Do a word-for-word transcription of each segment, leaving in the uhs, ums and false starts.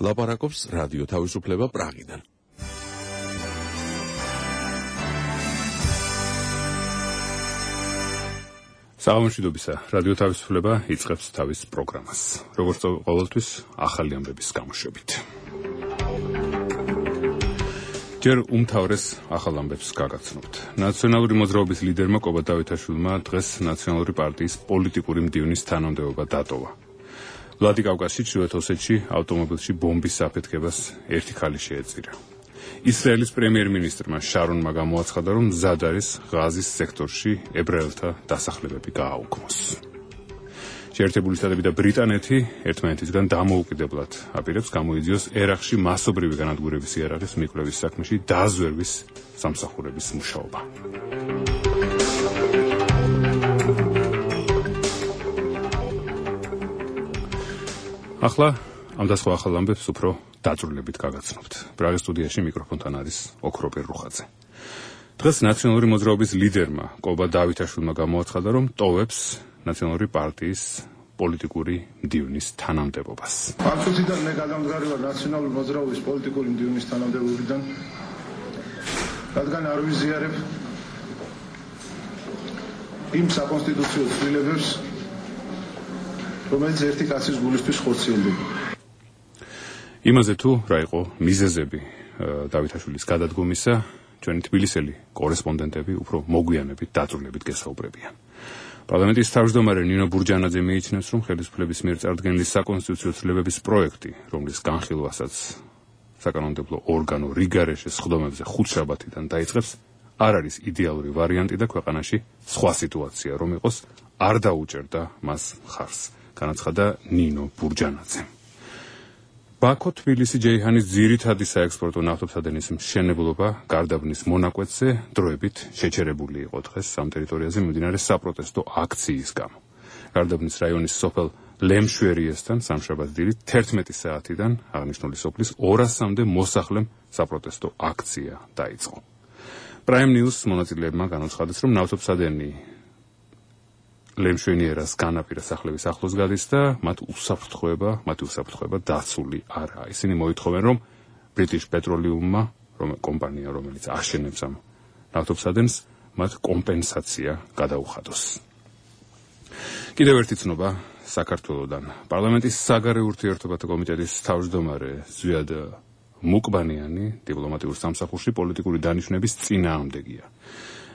ლაპარაკობს რადიო თავისუფლება პრაღიდან. საღამოშვიდობისა, რადიო თავისუფლება იწყებს თავის პროგრამას. როგორც ყოველთვის, ახალი ამბების გამოშვებით. ჯერ უმთავრეს ახალ ამბებს გაგაცნობთ. ნაციონალური მოძრაობის ლიდერმა კობა დავითაშვილმა დღეს ნაციონალური პარტიის პოლიტიკური მდივნის თანამდებობა დატოვა. ვლადიკავკაზში, ჩრდილოეთ ოსეთში, ავტომობილში ბომბის საფეთქებას ერთი ხალი შეეწირა. ისრაელის პრემიერ-მინისტრმა შარონმა გამოაცხადა, რომ მზად არის ღაზის სექტორში ებრაელთა დასახლებები გააუქმოს. შეერთებული შტატები და ბრიტანეთი ერთმანეთისგან დამოუკიდებლად აპირებს გამოიძიოს ერაყში მასობრივი განადგურების იარაღის მიკვლევის საქმეში დაზვერვის სამსახურების მუშაობა. ახლა ამ და სხვა ახალ ამბებს უფრო დაწვრილებით გაგაცნობთ. პრაღის სტუდიაში მიკროფონთან არის ოქროპერ რუხაძე. დღეს ნაციონალური მოძრაობის ლიდერმა კობა დავითაშვილმა გამოაცხადა, რომ ტოვებს ნაციონალური პარტიის პოლიტიკური მდივნის თანამდებობას. ამ წუთიდან მე გადამდგარი ვარ ნაციონალური მოძრაობის პოლიტიკური მდივნის თანამდებობიდან, რადგან არ ვიზიარებ იმ საკონსტიტუციო ცვლილებებს, რომელიც ერთი კაცის გულისთვის ხორციელდება. იმაზე თუ რა იყო მიზეზები დავითაშვილის გადადგომისა, ჩვენი თბილისელი კორესპონდენტები უფრო მოგვიანებით დაწვრილებით გესაუბრებიან. პარლამენტის თავმჯდომარე ნინო ბურჯანაძე მიიჩნევს, რომ ხელისუფლების მიერ წარდგენილი საკონსტიტუციო ცვლილებების პროექტი, რომლის განხილვასაც საკანონმდებლო ორგანო რიგარეშეს სხდომებზე ხუთშაბათიდან დაიწყებს, არ არის იდეალური ვარიანტი და ქვეყანაში სხვა სიტუაცია რომ იყოს, არ დაუჭერდა მას მხარს. განაცხადა ნინო ბურჯანაძემ. ბაქო-თბილისი ჯეიჰანის ძირითადი საექსპორტო ნავთობსადენის მშენებლობა გარდაბნის მონაკვეთზე დროებით შეჩერებული იყო დღეს ამ ტერიტორიაზე მიმდინარე საპროტესტო აქციის გამო. გარდაბნის რაიონის სოფელ ლემშვერიესთან სამშაბათ დილით თერთმეტი საათიდან აღნიშნული სოფლის ორასამდე მოსახლემ საპროტესტო აქცია დაიწყო. პრაიმ ნიუს მონაწილეებმა განაცხადეს, რომ ნავთობსადენი ლემშვენიერას განაპირა სახლების ახლოს გადის და მათ უსაფრთხოება, მათი უსაფრთხოება დაცული არაა. ისინი მოითხოვენ, რომ ბრიტიშ პეტროლიუმმა, რომ კომპანია, რომელიც აშენებს ამ ნავთობსადენს, მათ კომპენსაცია გადაუხადოს. კიდევ ერთი ცნობა საქართველოდან. პარლამენტის საგარეო ურთიერთობათა კომიტეტის თავმჯდომარე ზვიად მუკბანიანი დიპლომატიურ სამსახურში პოლიტიკური დანიშვნების წინააღმდეგია.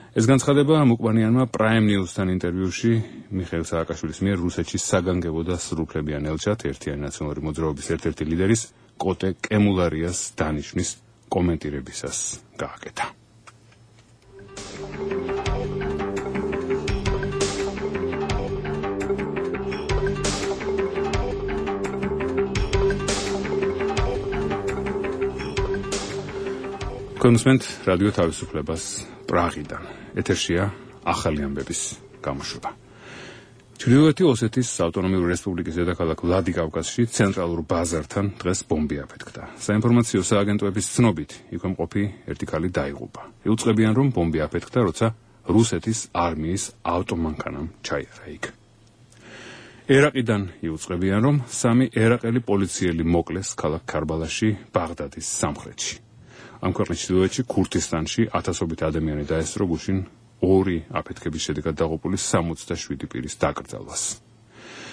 ეს განცხადება მუკბანიანმა პრაიმ ნიუსთან ინტერვიუში მიხეილ სააკაშვილის მიერ რუსეთში საგანგებო და სრულუფლებიან ელჩად ერთიანი ნაციონალური მოძრაობის ერთ-ერთი ლიდერის კოტე კემულარიას დანიშვნის კომენტირებისას გააკეთა. კონსმენტ რადიო თავისუფლებას პრაღიდან. ეთერშია ახალი ამბების გამოშვება. ჩრდილოეთი ოსეთის ავტონომიური რესპუბლიკის დედაქალაქ ვლადიკავკაზში ცენტრალურ ბაზართან დღეს ბომბი აფეთქდა. საინფორმაციო სააგენტოების ცნობით, იქვე მყოფი ერთი ქალი დაიღუპა. იუწყებიან, რომ ბომბი აფეთქდა, როცა რუსეთის არმიის ავტომანქანამ ჩაიარა იქ. ერაყიდან იუწყებიან, რომ სამი ერაყელი პოლიციელი მოკლეს ქალაქ ქარბალაში, ბაღდადის სამხრეთში. ამ ქვეყნის ჩრდილოეთში ქურთისტანში ათასობით ადამიანი დაესწრო გუშინ ორი აფეთქების შედეგად დაღუპული სამოცდაშვიდი პირის დაკრძალვას.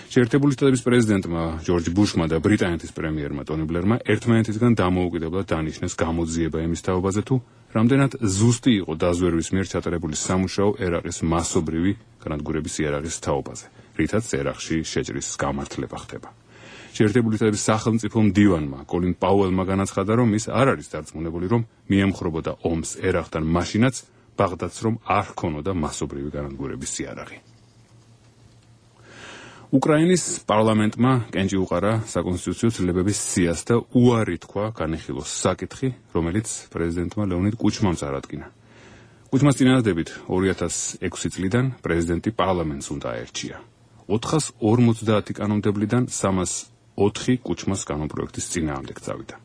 შეერთებული შტატების პრეზიდენტმა ჯორჯ ბუშმა და ბრიტანეთის პრემიერმა ტონი ბლერმა ერთმანეთისგან დამოუკიდებლად დანიშნეს გამოძიება იმის თაობაზე, თუ რამდენად ზუსტი იყო დაზვერვის მიერ ჩატარებული სამუშაო ერაყის მასობრივი განადგურების იარაღის თაობაზე, რითაც ერაყში შეჭრის გამართლება ხდება. შეერთებული შტატების სახელმწიფო მდივანმა კოლინ პაუელმა განაცხადა, რომ ის არ არის დარწმუნებული, რომ მიემხრობოდა ომს ერაყთან მაშინაც, ბაღდადს რომ არ ჰქონოდა მასობრივი განადგურების იარაღი. უკრაინის პარლამენტმა კენჭი უყარა საკონსტიტუციო ცვლილებების სიას და უარი თქვა განეხილოს საკითხი, რომელიც პრეზიდენტმა ლეონიდ კუჩმამ წარადგინა. კუჩმას წინააღმდებით ორი ათას ექვსი წლიდან პრეზიდენტი პარლამენტს უნდა აერჩია. ოთხას ორმოცდაათი კანონმდებლიდან სამას ოთხი კუჩმას კანონპროექტის წინააღმდეგ წავიდა.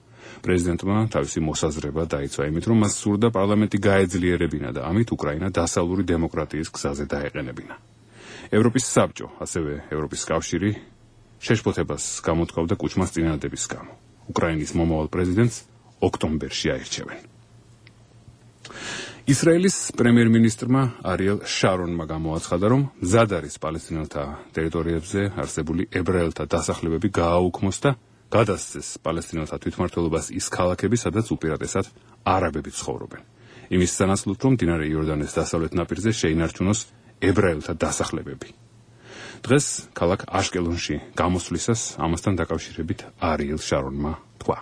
პრეზიდენტმა თავისი მოსაზრება დაიცვა იმით, რომ მას სურდა პარლამენტი გაეძლიერებინა და ამით უკრაინა დასავლური დემოკრატიის გზაზე დაეყენებინა. ევროპის საბჭო, ასევე ევროპის კავშირი შეშფოთებას გამოთქვამდა კუჩმას წინააღმდების გამო. უკრაინის მომავალ პრეზიდენტს ოქტომბერში აირჩევენ. ისრაელის პრემიერ-მინისტრმა არიელ შარონმა გამოაცხადა, რომ მზად არის პალესტინელთა ტერიტორიებზე არსებული ებრაელთა დასახლებები გააუქმოს და გადასცეს პალესტინელთა თვითმმართველობას ის ქალაქები, სადაც უპირატესად არაბები ცხოვრობენ. იმის სანაცვლოდ, რომ მდინარე იორდანეს დასავლეთ ნაპირზე შეინარჩუნოს ებრაელთა დასახლებები. დღეს ქალაქ აშკელონში გამოსვლისას ამასთან დაკავშირებით არიელ შარონმა თქვა.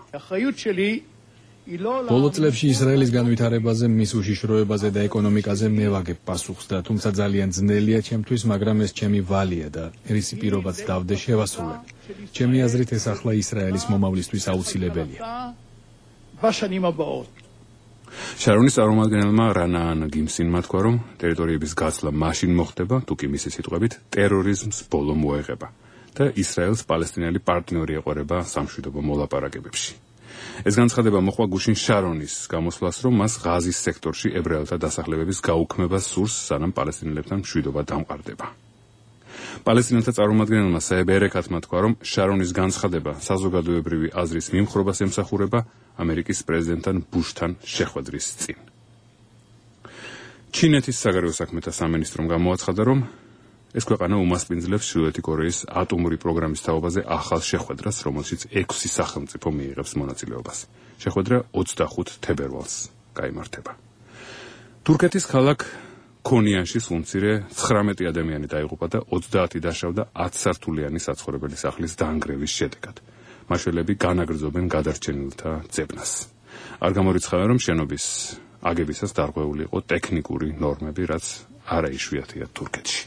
ბოლო წლებში ისრაელის განვითარებაზე, მის უშიშროებაზე და ეკონომიკაზე მე ვაგებ პასუხს და თუმცა ძალიან ძნელია ჩემთვის, მაგრამ ეს ჩემი ვალია და რისი პირობაც დავდე შევასრულებ. ჩემი აზრით ეს ახლა ისრაელის მომავლისთვის აუცილებელია. შარონის წარმომადგენელმა რანაან გიმსინმა თქვა, რომ ტერიტორიების გაცვლა მაშინ მოხდება, თუ კი მისი სიტყვებით ტერორიზმს ბოლო მოეღება და ისრაელს პალესტინელი პარტნიორი ეყურება სამშვიდობო მოლაპარაკებებში. ეს განცხადება მოყვა გუშინ შარონის გამოსვლას, რომ მას ღაზის სექტორში ებრაელთა დასახლებების გაუქმება სურს, სანამ პალესტინელებთან მშვიდობა დამყარდება. პალესტინელთა წარმომადგენელმა საებ ერეკათმა თქვა, რომ შარონის განცხადება საზოგადოებრივი აზრის მიმხრობას ემსახურება ამერიკის პრეზიდენტთან ბუშთან შეხვედრის წინ. ჩინეთის საგარეო საქმეთა სამინისტრომ გამოაცხადა, რომ ეს ქვეყანა უმასპინძლებს ჩრდილოეთი კორეის ატომური პროგრამის თაობაზე ახალ შეხვედრას, რომელშიც ექვსი სახელმწიფო მიიღებს მონაწილეობას. შეხვედრა ოცდახუთ თებერვალს გაიმართება. თურქეთის ქალაქ ქონიანში სულმცირე ცხრამეტი ადამიანი დაიღუპა და ოცდაათი დაშავდა ათსართულიანი საცხოვრებელი სახლის დაანგრევის შედეგად. მაშველები განაგრძობენ გადარჩენილთა ძებნას. არ გამორიცხავენ, რომ შენობის აგებისას დარღვეული იყო ტექნიკური ნორმები, რაც არაიშვიათია თურქეთში.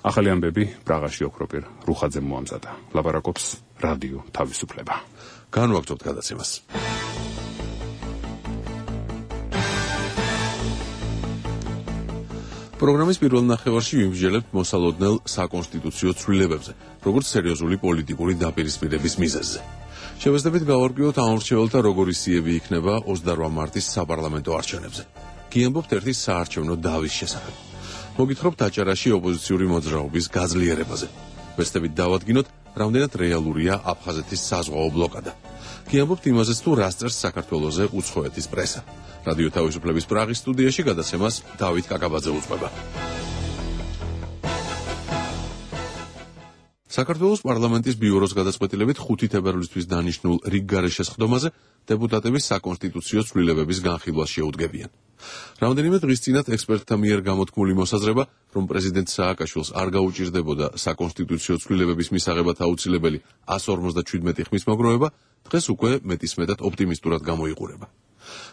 ახალი ამბები პრაღაში ოქროპირ რუხაძემ მოამზადა. ლაპარაკობს რადიო თავისუფლება. განვაგრძობთ გადაცემას. პროგრამის პირველ ნახევარში ვიმსჯელებთ მოსალოდნელ საკონსტიტუციო ცვლილებებზე, როგორც სერიოზული პოლიტიკური დაპირისპირების მიზეზზე. შევეცდებით გავარკვიოთ ამორჩეველთა როგორი სიები იქნება ოცდარვა მარტის საპარლამენტო არჩევნებზე. გიამბობთ ერთი საარჩევნო დავის შესახებ. მოგითხრობთ აჭარაში ოპოზიციური მოძრაობის გაძლიერებაზე. ვეცდებით დავადგინოთ, რამდენად რეალურია აფხაზეთის საზღვაო ბლოკადა. გიამბობთ იმაზეც, თუ რას წერს საქართველოზე უცხოეთის პრესა. რადიო თავისუფლების პრაღის სტუდიაში გადაცემას დავით კაკაბაძე უძღვება. საქართველოს პარლამენტის ბიუროს გადაწყვეტილებით ხუთი თებერვლისთვის დანიშნულ რიგ გარეშესხდომაზე დეპუტატები საკონსტიტუციო ცვლილებების განხილვას შეუდგებიან. რამდენიმე დღის წინათ ექსპერტთა მიერ გამოთქმული მოსაზრება, რომ პრეზიდენტ სააკაშვილს არ გაუჭირდებოდა საკონსტიტუციო ცვლილებების მისაღებად აუცილებელი ას ორმოცდაჩვიდმეტი ხმის მოგროვება, დღეს უკვე მეტისმეტად ოპტიმისტურად გამოიყურება.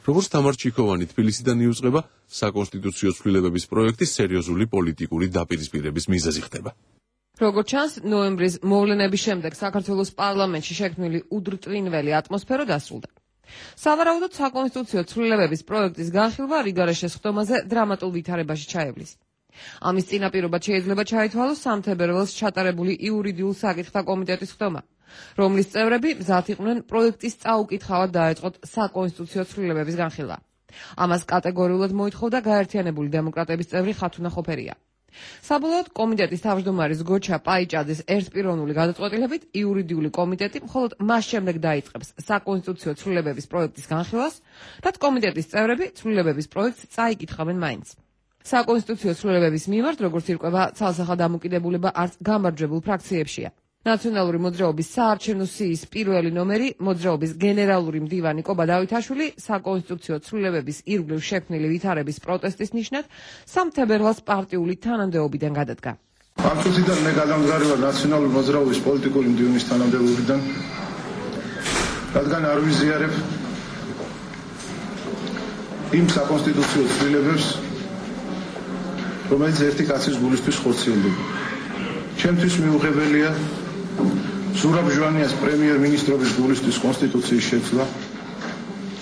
როგორც თამარ ჩიქოვანი თბილისიდან იუწყება, საკონსტიტუციო ცვლილებების პროექტი სერიოზული პოლიტიკური დაპირისპირების მიზეზი ხდება. როგორც ჩანს, ნოემბრის მოვლენების შემდეგ საქართველოს პარლამენტში შექმნილი უდრტვინველი ატმოსფერო დასრულდა. სავარაუდოდ საკონსტიტუციო ცვლილებების პროექტის განხილვა რიგარაშესხდომაზე დრამატულ ვითარებაში ჩაევლის. ამის წინაპირობად შეიძლება ჩაითვალოს სამ თებერვალს ჩატარებული იურიდიულ საკითხთა კომიტეტის ხდომა, რომლის წევრები მზად იყვნენ პროექტის წაუკითხავად დაეწყოთ საკონსტიტუციო ცვლილებების განხილვა. ამას კატეგორიულად მოითხოვდა გაერთიანებული დემოკრატების წევრი ხათუნა ხოფერია. საბოლოოდ კომიტეტის თავმჯდომარის გოჩა პაიჭაძის ერთპიროვნული გადაწყვეტილებით იურიდიული კომიტეტი მხოლოდ მას შემდეგ დაიწყებს საკონსტიტუციო ცვლილებების პროექტის განხილვას, რაც კომიტეტის წევრები ცვლილებების პროექტს წაიკითხავენ მაინც. საკონსტიტუციო ცვლილებების მიმართ, როგორც ირკვევა, ცალსახად დამოკიდებულება არც გამარჯვებულ ფრაქციებშია. ნაციონალური მოძრაობის საარჩევნო სიის პირველი ნომერი, მოძრაობის გენერალური მდივანი კობა დავითაშვილი საკონსტიტუციო ცვლილებების ირგვლივ შექმნილი ვითარების პროტესტის ნიშნად სამ თებერვალს პარტიული თანამდებობიდან გადადგა. ამ წუთიდან მე გადამდგარი ვარ ნაციონალური მოძრაობის პოლიტიკური მდივნის თანამდებობიდან, რადგან არ ვიზიარებ იმ საკონსტიტუციო ცვლილებებს, რომელიც ერთი კაცის გულისთვის ხორციელდება. ჩემთვის მიუღებელია ზურაბ ჟვანიას პრემიერ-მინისტრობის გულისთვის კონსტიტუციის შეცვლა.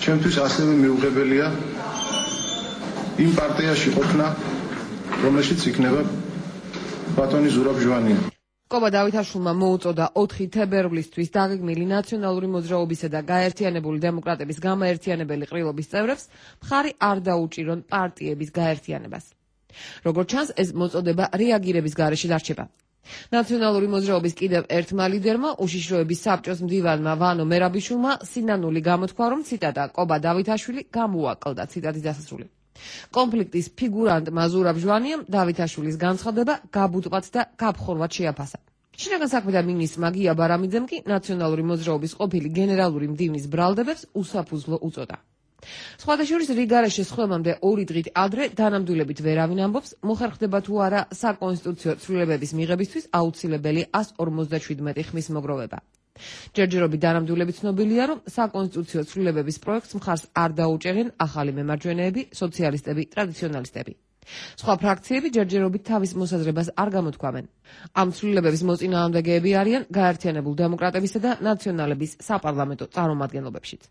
ჩემთვის ასევე მიუღებელია იმ პარტიაში ყოფნა, რომელშიც იქნება ბატონი ზურაბ ჟვანია. კობა დავითაშვილმა მოუწოდა ოთხი თებერვლისთვის დაგეგმილი ნაციონალური მოძრაობისა და გაერთიანებული დემოკრატების გამაერთიანებელი ყრილობის წევრებს მხარი არ დაუჭირონ პარტიების გაერთიანებას. როგორც ჩანს, ეს მოწოდება რეაგირების გარეშე დარჩება. ნაციონალური მოძრაობის კიდევ ერთმა ლიდერმა, უშიშროების საბჭოს მდივანმა ვანო მერაბიშვილმა სინანული გამოთქვა, რომ ციტატა კობა დავითაშვილი გამოაკლდა, ციტატის დასასრული. კონფლიქტის ფიგურანტმა ზურაბ ჟვანიამ დავითაშვილის განცხადება გაბუტყვათ და გაბხორვად შეაფასა. შინაგან საქმეთა მინისტრმა გია ბარამიძემ კი ნაციონალური მოძრაობის ყოფილი გენერალური მდივნის ბრალდებებს უსაფუძვლო უწოდა. სხვადასხვა რიგარეშე შესხმამდე ორი დღით ადრე დანამდვილებით ვერავინ ამბობს, მოხერხდება თუ არა საკონსტიტუციო ცვლილებების მიღებისთვის აუცილებელი ას ორმოცდაშვიდმეტი ხმის მოგროვება. ჯერჯერობით დანამდვილებით ცნობილია, რომ საკონსტიტუციო ცვლილებების პროექტს მხარს არ დაუჭერენ ახალი მემარჯვენეები, სოციალისტები, ტრადიციონალისტები. სხვა ფრაქციები ჯერჯერობით თავის მოსაზრებას არ გამოთქვამენ. ამ ცვლილებების მოწინააღმდეგეები არიან გაერთიანებულ დემოკრატებისა და ნაციონალების საპარლამენტო წარმომადგენლობებშიც.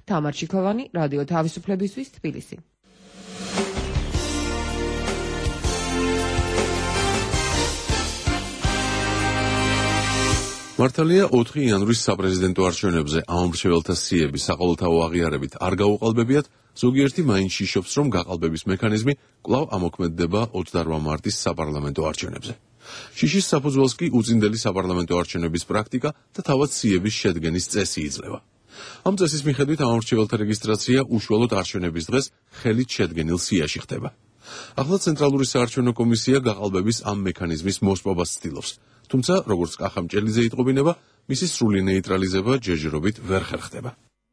თამარ ჩიქოვანი, რადიო თავისუფლებისთვის, თბილისი. მართალია ოთხი იანვრის საპრეზიდენტო არჩევნებზე ამომრჩეველთა სიები საყოველთაო აღიარებით არ გაუყალბებიათ, ზოგიერთი მაინც შიშობს, რომ გაყალბების მექანიზმი კვლავ ამოქმედდება ოცდაორ მარტის საპარლამენტო არჩევნებზე. შიშის საფუძველს კი უწინდელი საპარლამენტო არჩევნების პრაქტიკა და თავად სიების შედგენის წესი იძლევა. ამ წესის მიხედვით ამომრჩეველთა რეგისტრაცია უშუალოდ არჩევნების დღეს ხელით შედგენილ სიაში ხდება. ახლა ცენტრალური საარჩევნო კომისია გაყალბების ამ მექანიზმის მოსპობას ცდილობს. თუმცა, როგორც კახამჭელიძე იტყობინება, მისი სრული ნეიტრალიზება ჯერჯერობით ვერ ხერხდება.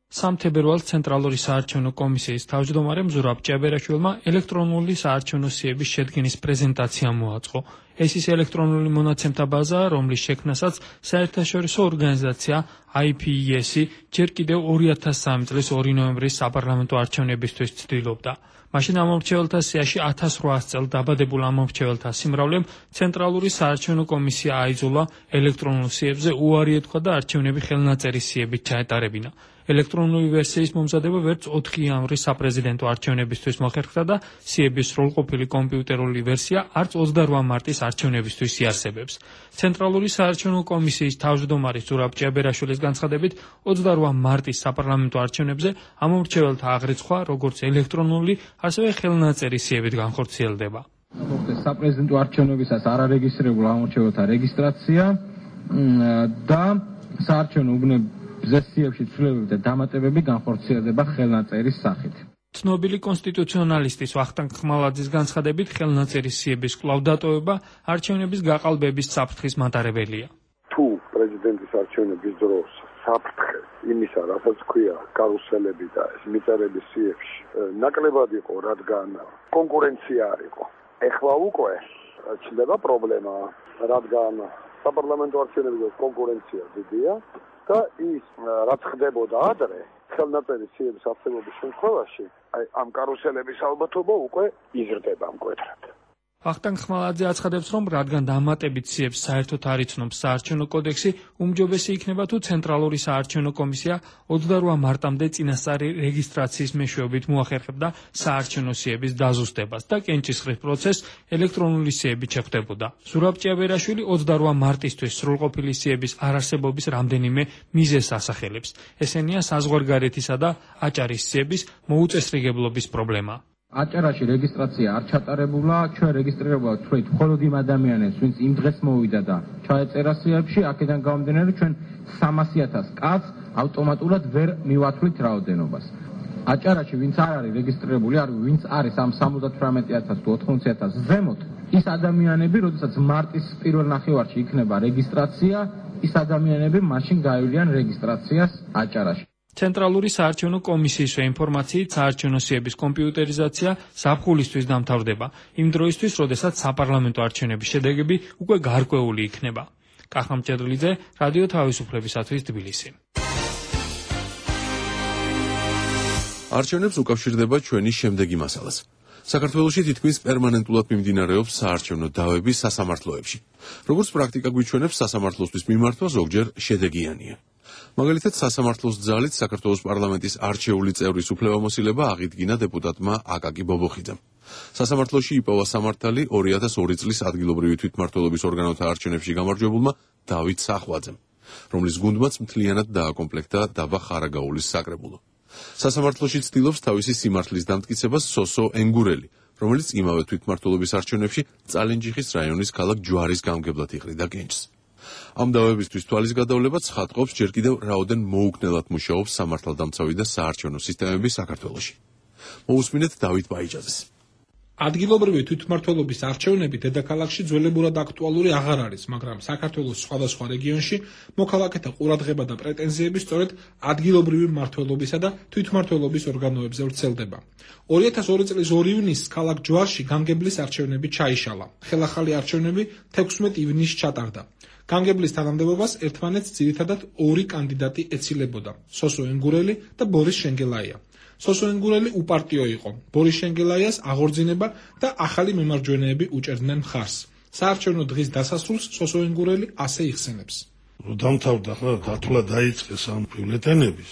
სამ თებერვალს ცენტრალური საარჩევნო კომისიის თავმჯდომარემ ზურაბ ჭიაბერაშვილმა ელექტრონული საარჩევნო სიების შედგენის პრეზენტაცია მოაწყო. ეს ის ელექტრონული მონაცემთა ბაზაა, რომლის შექმნასაც საერთაშორისო ორგანიზაცია აი პი ი ესი ჯერ კიდევ ორი ათას სამი წლის ორი ნოემბრის საპარლამენტო არჩევნებისთვის ცდილობდა. მაშინ ამომრჩეველთა სიაში ათას რვაას წელ დაბადებულ ამომრჩეველთა სიმრავლემ ცენტრალური საარჩევნო კომისია აიძულა ელექტრონულ სიებზე უარი ეთქვა და არჩევნები ხელნაწერის სიებით ჩაეტარებინა. ელექტრონული ვერსიის მომზადება ვერც ოთხი იანვრის საპრეზიდენტო არჩევნებისთვის მოხერხდა და სიების სრულყოფილი კომპიუტერული ვერსია არც ოცდაორ მარტის არჩევნებისთვის იარსებებს. ცენტრალური საარჩევნო კომისიის თავმჯდომარის ზურაბ ჭიაბერაშვილის განცხადებით, ოცდაორ მარტის საპარლამენტო არჩევნებზე ამომრჩეველთა აღრიცხვა, როგორც ელექტრონული, ასევე ხელნაწერი სიებით განხორციელდება. მოხდეს საპრეზიდენტო არჩევნებისას არარეგისტრირებულ ამომრჩეველთა რეგისტრაცია და საარჩევნო უბნების ზესიებში ცვლილებები და დამატებები განხორციელდება ხელნაწერის სახით. ცნობილი კონსტიტუციონალისტის ვახტანგ ხმალაძის განცხადებით, ხელნაწერის სიების კვლავ დატოვება არჩევნების გაყალბების საფრთხის მატარებელია. თუ პრეზიდენტის არჩევნების დროს საფრთხე იმისა, რასაც ქვია კარუსელები და ეს მიწერების სიებში ნაკლებად იყო, რადგან კონკურენცია არ იყო. ეხლა უკვე ჩნდება პრობლემა, რადგან საპარლამენტო არჩევნების კონკურენცია დიდია და ის რაც ხდებოდა ადრე ხელნაწერის სიების არსებობის შემთხვევაში, აი ამ კარუსელების ალბათობა უკვე იზრდება მკვეთრად. ვახტანგ ხმალაძე აცხადებს, რომ რადგან დამატებით სიებს საერთოდ არ იცნობს საარჩევნო კოდექსი, უმჯობესი იქნება თუ ცენტრალური საარჩევნო კომისია ოცდაორ მარტამდე წინასწარი რეგისტრაციის მეშვეობით მოახერხებდა საარჩევნო სიების დაზუსტებას და კენჭისყრის პროცესს ელექტრონული სიებით შეხვდებოდა. ზურაბ ჭიაბერაშვილი ოცდაორ მარტისთვის სრულყოფილი სიების არარსებობის რამდენიმე მიზეზს ასახელებს. ესენია საზღვარგარეთისა და აჭარის სიების მოუწესრიგებლობის პრობლემა. აჭარაში რეგისტრაცია არ ჩატარებულა, ჩვენ რეგისტრირებულა თქვით მხოლოდ იმ ადამიანებს, ვინც იმ დღეს მოვიდა და ჩაეწერა სიებში, აქედან გამომდინარე ჩვენ სამასი ათას კაცს ავტომატურად ვერ მივათვლით რაოდენობას. აჭარაში ვინც არ არის რეგისტრირებული, არ ვინც არის ამ სამოცდათვრამეტი ათას თუ ოთხმოცდაათი ათას ზემოთ, ის ადამიანები, როდესაც მარტის პირველ ნახევარში იქნება რეგისტრაცია, ის ადამიანები მაშინ გაივლიან რეგისტრაციას აჭარაში. ცენტრალური საარჩევნო კომისიის ინფორმაციით საარჩევნო სიების კომპიუტერიზაცია ზაფხულისთვის დამთავრდება, იმ დროისთვის, როდესაც საპარლამენტო არჩევნების შედეგები უკვე გარკვეული იქნება. კახამჭედლიძე, რადიო თავისუფლებისათვის, თბილისი. არჩევნებს უკავშირდება ჩვენი შემდეგი მასალაც. საქართველოში თითქმის პერმანენტულად მიმდინარეობს საარჩევნო დავები სასამართლოებში. როგორც პრაქტიკა გვიჩვენებს, სასამართლოსთვის მიმართვა ზოგჯერ შედეგიანია. მაგალითად, სასამართლოს ძალით საქართველოს პარლამენტის არჩეული წევრის უფლებამოსილება აღიდგინა დეპუტატმა აკაკი ბობოხიძემ. სასამართლოში იპოვა სამართალი ორი ათას ორი წლის ადგილობრივი თვითმმართველობის ორგანოთა არჩევნებში გამარჯვებულმა დავით სახვაძემ, რომლის გუნდმაც მთლიანად დააკომპლექტა დაბა ხარაგაულის საკრებულო. სასამართლოში ცდილობს თავისი სიმართლის დამტკიცებას სოსო ენგურელი, რომელიც იმავე თვითმმართველობის არჩევნებში წალენჯიხის რაიონის ქალაქ ჯვარის გამგებლად იყრიდა კენჭს. ამ დავებისთვის თვალის გადავლება ცხადყოფს ჯერ კიდევ რაოდენ მოუქნელად მუშაობს სამართალდამცავი და საარჩევნო სისტემები საქართველოში. მოусმინეთ დავით ბაიჭაძეს. ადგილობრივი თვითმმართველობის არჩევნები დედაქალაქში ძველებურად აქტუალური აღარ არის, მაგრამ საქართველოს სხვადასხვა რეგიონში მოქალაქეთა ყურადღება და პრეტენზიები სწორედ ადგილობრივი მმართველობისა და თვითმმართველობის ორგანოებზე ვრცელდება. ორი ათას ორი წლის ორი ივნისს ქალაქ ჯვარში გამგებლის არჩევნები ჩაიშალა. ხელახალი არჩევნები თექვსმეტ ივნისს ჩატარდა. გამგებლის თანამდებობას ერთმანეთს ძირითადად ორი კანდიდატი ეცილებოდა: სოსო ენგურელი და ბორის შენგელაია. სოსო ენგურელი უპარტიო იყო. ბორის შენგელაიას აღორძინება და ახალი მემარჯვენეები უჭერდნენ მხარს. საარჩევნო დღის დასასრულს სოსო ენგურელი ასე იხსენებს. დამთავრდა ხა დათვლა დაიწყეს ამ ბიულეტენების,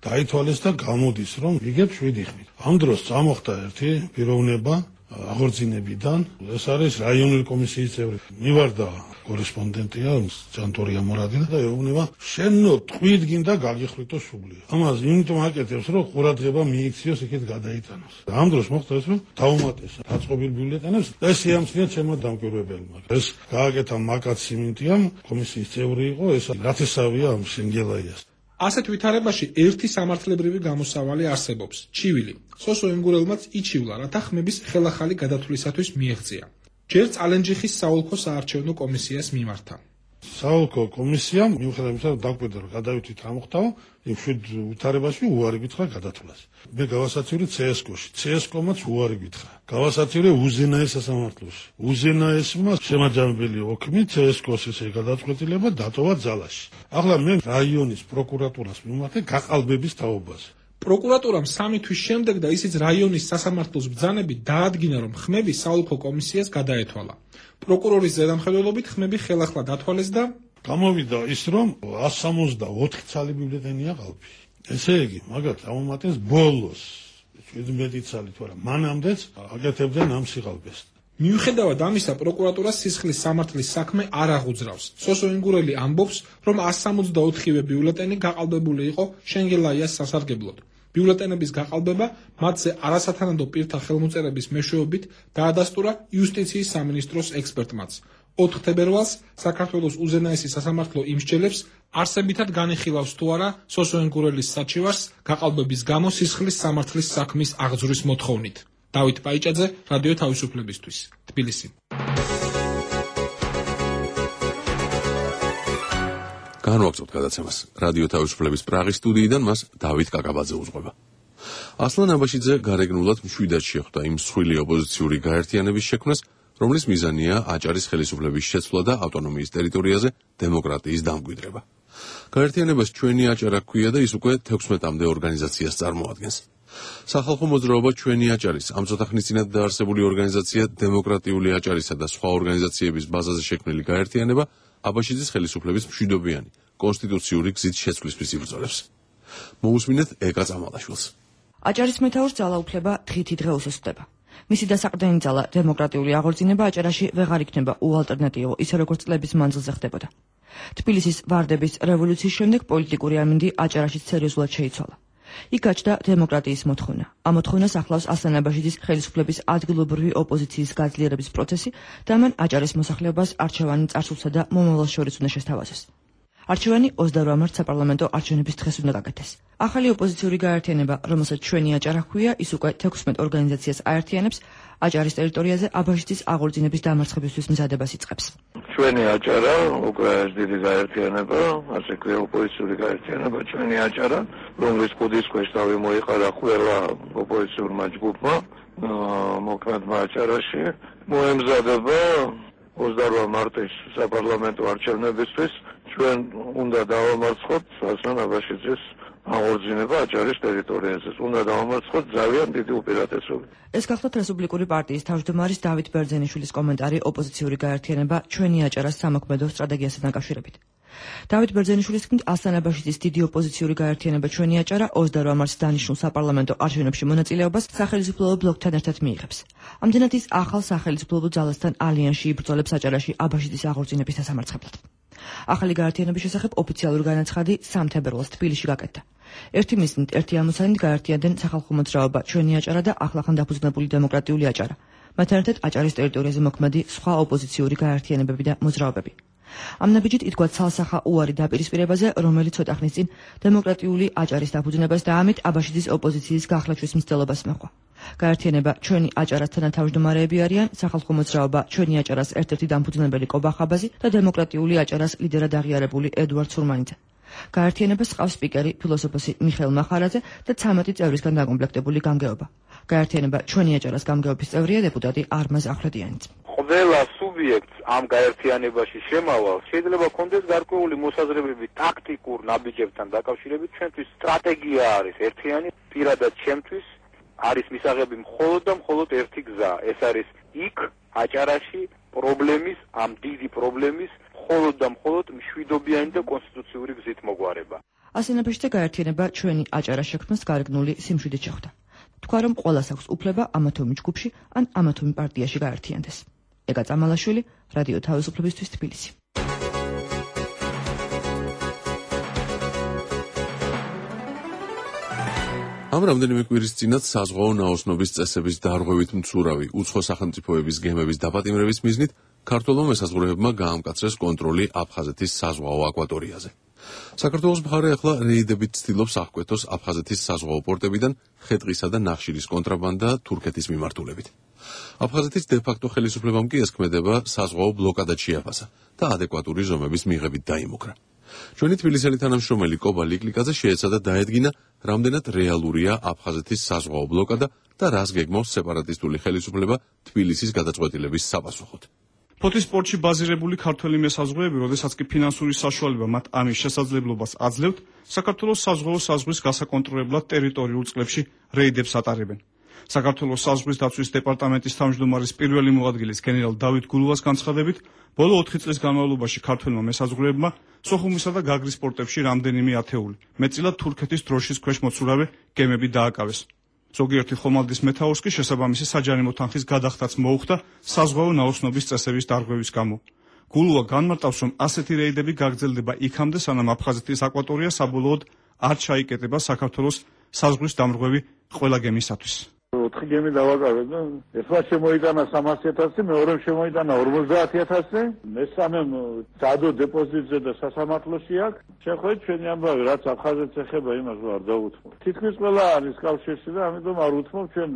დაითვალეს და გამოდის, რომ იგებს შვიდი ხმით. ამ დროს წამოხდა ერთი პიროვნება აღორძინებიდან, ეს არის რაიონული კომისიის წევრი. მივარდა კორესპონდენტია ჯანტორია მორადი და ეუბნება, შენო ტყვით გინდა გაგიხრიტო სული. ამას იმიტომ აკეთებს, რომ ყურადღება მიიქციოს იქით გადაიტანოს. ამ დროს მოხდა ეს, რომ დაუმატეს დაწყობილ ბიულეტენებს და ეს შეამჩნია ჩემო დამკვირვებელმა. ეს გააკეთა მაკაც სიმინტიამ, კომისიის წევრი იყო, ეს რათესავია ამ შენგელაიას. ასეთ ვითარებაში ერთი სამართლებრივი გამოსავალი არსებობს: ჩივილი. სოსო ენგურელმაც იჩივლა, რათა ხმების ხელახალი გადათვლისათვის მიეღწია. ჯერ წალენჯიხის საოლქო საარჩევნო კომისიას მიმართა. საოლქო კომისიამ მიუხედავად იმისა, რომ დაგვედა რომ გადავითვით რა მოხდაო, იმ შვიდ ვითარებაში უარი გითხრა გადათვლას. მე გავასაცილე ცესკოში, ცესკომაც უარი გითხრა. გავასაცილე უზენაეს სასამართლოში. უზენაესმა შემაჯამებელი ოქმი ცესკოს ესე გადაწყვეტილება დატოვა ძალაში. ახლა მე რაიონის პროკურატურას მიმართა გაყალბების თაობაზე. პროკურატურამ სამი თვის შემდეგ და ისიც რაიონის სასამართლოს ბრძანებით დაადგინა, რომ ხმები საოლქო კომისიას გადაეთვალა. პროკურორის ზედამხედველობით ხმები ხელახლა დათვალეს და გამოვიდა ის, რომ ას სამოცდაოთხი ცალი ბიულეტენია ყალბი. ესე იგი, მაგათ ამომატეს ბოლოს შვიდმეტი ცალი, თორემ მანამდეც აკეთებდნენ ამ სიყალბეს. მიუხედავად ამისა, პროკურატურას სისხლის სამართლის საქმე არ აღუძრავს. სოსო ენგურელი ამბობს, რომ ას სამოცდაოთხივე ბიულეტენი გაყალბებული იყო შენგელაიას სასარგებლოდ. ბიულეტენების გაყალბება მათზე არასათანადო პირთა ხელმოწერების მეშვეობით დაადასტურა იუსტიციის სამინისტროს ექსპერტმაც. ოთხ თებერვალს საქართველოს უზენაესი სასამართლო იმსჯელებს არსებითად განიხილავს თუ არა სოსო ენგურელის საჩივარს გაყალბების გამო სისხლის სამართლის საქმის აღძვრის მოთხოვნით. დავით ბაიჭაძე, რადიო თავისუფლებისთვის, თბილისი. განვაგრძობთ გადაცემას. რადიო თავისუფლების პრაღის სტუდიიდან მას დავით კაკაბაძე უძღვება. ასლან აბაშიძე გარეგნულად მშვიდად შეხვდა იმ მსხვილი ოპოზიციური გაერთიანების შექმნას, რომლის მიზანია აჭარის ხელისუფლების შეცვლა და ავტონომიის ტერიტორიაზე დემოკრატიის დამკვიდრება. გაერთიანებას ჩვენი აჭარა ჰქვია და ის უკვე თექვსმეტამდე ორგანიზაციას წარმოადგენს. სახალხო მოძრაობა ჩვენი აჭარის ამ ცოტა ხნის წინათ დაარსებული ორგანიზაცია დემოკრატიული აჭარისა და სხვა ორგანიზაციების ბაზაზე შექმნილი გაერთიანება აბაშიძის ხელისუფლების მშვიდობიანი კონსტიტუციური გზით შეცვლისთვის იბრძოლებს. მოусმინეთ ეკა წამალაშვილს. აჭარის მეთაურს ძალაუფლება დღითი დღე უსუსტდება. მისი დასაყრდენი ძალა დემოკრატიული აღორძინება აჭარაში ვეღარ იქნება უალტერნატივო, ისე როგორც წლების მანძილზე ხდებოდა. თბილისის ვარდების რევოლუციის შემდეგ პოლიტიკური ამინდი აჭარაში სერიოზულად შეიცვალა. იქ გაჩნდა დემოკრატიის მოთხოვნა. ამ მოთხოვნას ახლავს ასლან აბაშიძის ხელისუფლების ადგილობრივი ოპოზიციის გაძლიერების პროცესი და მან აჭარის მოსახლეობას არჩევანი წარსულსა და მომავალს შორის უნდა შესთავაზოს. არჩევანი ოცდაორ მარტს საპარლამენტო არჩევნების დღეს უნდა გაკეთდეს. ახალი ოპოზიციური გაერთიანება, რომელსაც ჩვენი აჭარა ჰქვია, ის უკვე თექვსმეტ ორგანიზაციას აერთიანებს, აჭარის ტერიტორიაზე აბაშიძის აღორძინების დამარცხებისთვის მზადებას იწყებს. ჩვენი აჭარა უკვე ეს დიდი გაერთიანება, ასე ქვია ოპოზიციური გაერთიანება ჩვენი აჭარა, რომლის კუდის ქვეშ თავი მოიყარა ყველა ოპოზიციურმა ჯგუფმა, მოქმედმა აჭარაში, მოემზადება ოცდაორ მარტის საპარლამენტო არჩევნებისთვის. ჩვენ უნდა დავამარცხოთ ასლან აბაშიძის აღორძინება აჭარის ტერიტორიაზე. უნდა დავამარცხოთ ძალიან დიდი უპირატესობით. ეს გახლავთ რესპუბლიკური პარტიის თავმჯდომარის დავით ბერძენიშვილის კომენტარი ოპოზიციური გაერთიანება ჩვენი აჭარას სამოქმედო სტრატეგიასთან დაკავშირებით. დავით ბერძენიშვილის თქმით, ასლან აბაშიძის დიდი ოპოზიციური გაერთიანება ჩვენი აჭარა ოცდაორ მარტს დანიშნულ საპარლამენტო არჩევნებში მონაწილეობას სახელმწიფო ბლოკთან ერთად მიიღებს. ამდენად ის ახალ სახელმწიფო ძალასთან ალიანსში იბრძოლებს აჭარაში აბაშიძის აღორძინების დასამარცხებლად. ახალი გაერთიანების შესახებ ოფიციალური განაცხადი სამ თებერვალს თბილისში გაკეთდა. ერთი მიზნით, ერთი ამოცანით გაერთიანდნენ სახალხო მოძრაობა, ჩვენი აჭარა და ახლახან დაფუძნებული დემოკრატიული აჭარა. მათთან ერთად აჭარის ტერიტორიაზე მოქმედი სხვა ოპოზიციური გაერთიანებები და მოძრაობები. ამ ნაბიჯით ითქვა ცალსახა უარი დაპირისპირებაზე, რომელიც ცოტა ხნის წინ დემოკრატიული აჭარის დაფუძნებას და ამით აბაშიძის ოპოზიციის გახლაჩვის მცდელობას მოჰყვა. გაერთიანება ჩვენი აჭარას თანათავმჯდომარეები არიან სახალხო მოძრაობა, ჩვენი აჭარას ერთ-ერთი დამფუძნებელი კობა ხაბაზი და დემოკრატიული აჭარას ლიდერად აღიარებული ედუარდ სურმანიძე. გაერთიანებას ჰყავს სპიკერი ფილოსოფოსი მიხეილ მახარაძე და ცამეტი წევრისგან დაკომპლექტებული გამგეობა. გაერთიანება ჩვენი აჭარას გამგეობის წევრია დეპუტატი არმაზ ახვლედიანიც. ყველა სუბიექტს ამ გაერთიანებაში შემავალ შეიძლება კონდეს გარკვეული მოსაზრებები ტაქტიკურ ნაბიჯებთან დაკავშირებით. ჩვენთვის სტრატეგია არის ერთიანი, პირადად ჩემთვის არის მისაღები მხოლოდ და მხოლოდ ერთი გზა. ეს არის იქ აჭარაში პრობლემის, ამ დიდი პრობლემის მხოლოდ და მხოლოდ მშვიდობიანი და კონსტიტუციური გზით მოგვარება. ასენებაში და გაერთიანება ჩვენი აჭარას შექმნას გარეგნული სიმშვიდით შეხვდა. თქვა რომ ყველას აქვს უფლება ამა თუ იმ ჯგუფში ან ამა თუ იმ პარტიაში გაერთიანდეს. ეგა წამალაშვილი, რადიო თავისუფლებისთვის თბილისი. ამ რამდენიმე კვირის წინათ საზღვაო ნაოსნობის წესების დარღვევით მცურავი უცხო სახელმწიფოების გემების დაპატიმრების მიზნით ქართველმა მესაზღვრეებმა გაამკაცრეს კონტროლი აფხაზეთის საზღვაო აკვატორიაზე. საქართველოს მხარე ახლა რეიდებით ცდილობს აღკვეთოს აფხაზეთის საზღვაო პორტებიდან ხე-ტყისა და ნახშირის კონტრაბანდა თურქეთის მიმართულებით. აფხაზეთის დე-ფაქტო ხელისუფლებამ კი ეს ქმედება საზღვაო ბლოკადად შეაფასა და ადეკვატური ზომების მიღებით დაიმუქრა. ჩვენი თბილისელი თანამშრომელი კობა ლიკლიკაძე შეეცადა დაედგინა, რამდენად რეალურია აფხაზეთის საზღვაო ბლოკადა და რას გეგმავს სეპარატისტული ხელისუფლება თბილისის გადაწყვეტილების საპასუხოდ. ფოთის პორტში ბაზირებული ქართველი მესაზღვრეები, როდესაც კი ფინანსური საშუალება მათ ამის შესაძლებლობას აძლევთ, საქართველოს საზღვაო საზღვრის გასაკონტროლებლად ტერიტორიულ წყლებში რეიდებს ატარებენ. საქართველოს საზღვრის დაცვის დეპარტამენტის თავმჯდომარის პირველი მოადგილის გენერალ დავით გულუას განცხადებით, ბოლო ოთხი წლის განმავლობაში ქართველმა მესაზღვრეებმა სოხუმისა და გაგრის პორტებში რამდენიმე ათეული, მეტწილად თურქეთის დროშის ქვეშ მოცურავე გემები დააკავეს. ზოგიერთი ხომალდის მეთაურს კი შესაბამისი საჯარიმო თანხის გადახდაც მოუხდა საზღვაო ნაოსნობის წესების დარღვევის გამო. გულუა განმარტავს, რომ ასეთი რეიდები გაგრძელდება იქამდე, სანამ აფხაზეთის აკვატორია საბოლოოდ არ ჩაიკეტება საქართველოს საზღვრის დამრღვევი ყველა გემისათვის. ოთხი გემი დავაკავეთ და ერთმა შემოიტანა სამასი ათასი, მეორემ შემოიტანა ორმოცდაათი ათასი, მესამემ ძადო დეპოზიტზე და სასამართლოში აქვს. შეხვედრით ჩვენი ამბავი, რაც აფხაზეთს ეხება, იმას არ დავუთმობ. თითქმის ყველა არის კავშირში და ამიტომ არ უთმობ ჩვენ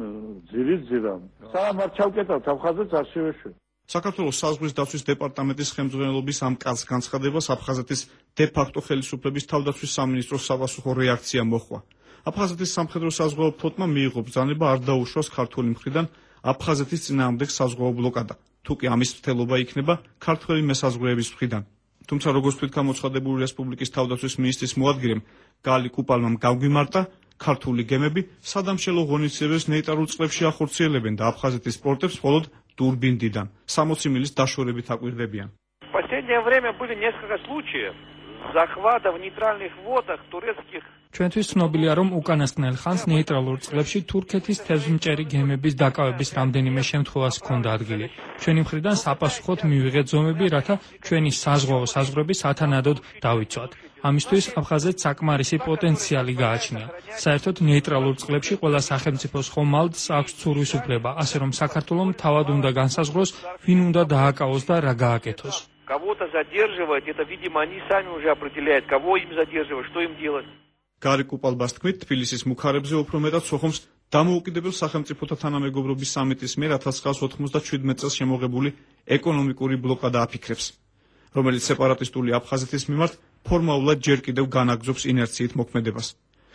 ძირით ძირამ. სანამ არ ჩავკეტავთ აფხაზეთს არ შევეშვებ. საქართველოს საზღვრის დაცვის დეპარტამენტის ხელმძღვანელობის ამ კაცს განცხადებას აფხაზეთის დე-ფაქტო ხელისუფლების თავდაცვის სამინისტროს საპასუხო რეაქცია მოჰყვა. აფხაზეთის სამხედრო საზღვაო ფლოტმა მიიღო ბრძანება არ დაუშვას ქართული მხრიდან აფხაზეთის წინააღმდეგ საზღვაო ბლოკადა, თუ კი ამის მცდელობა იქნება ქართველი მესაზღვრეების მხრიდან. თუმცა როგორც თვით გამოცხადებული რესპუბლიკის თავდაცვის მინისტრის მოადგილემ გალი კუპალმამ გავგვიმარტა, ქართული გემები სადამშელო ღონისძიებებს ნეიტრალურ წყლებში ახორციელებენ და აფხაზეთის პორტებს მხოლოდ დურბინდიდან სამოცი მილის დაშორებით აკვირდებიან. В последнее время были несколько случаев захвата в нейтральных водах турецких. ჩვენთვის ცნობილია, რომ უკანასკნელ ხანს ნეიტრალურ წყლებში თურქეთის თევზმჭერი გემების დაკავების რამდენიმე შემთხვევას ჰქონდა ადგილი. ჩვენი მხრიდან საპასუხოდ მივიღეთ ზომები, რათა ჩვენი საზღვაო საზღვრები სათანადოდ დავიცვათ. ამისთვის აფხაზეთს საკმარისი პოტენციალი გააჩნია. საერთოდ ნეიტრალურ წყლებში ყველა სახელმწიფოს ხომალდს აქვს ცურვის უფლება, ასე რომ საქართველომ თავად უნდა განსაზღვროს, ვინ უნდა დააკავოს და რა გააკეთოს. Кого-то задерживать, это, видимо, они сами уже определяют, кого им задерживать, что им делать. გარი კუპალბას თქმით, თბილისის მუქარებზე უფრო მეტად სოხუმს დამოუკიდებელ სახელმწიფოთა თანამეგობრობის სამიტის მიერ ათას ცხრაას ოცდაშვიდ წელს შემოღებული ეკონომიკური ბლოკადა აფიქრებს, რომელიც სეპარატისტული აფხაზეთის მიმართ ფორმალურად ჯერ კიდევ განაგრძობს ინერციით მოქმედებას.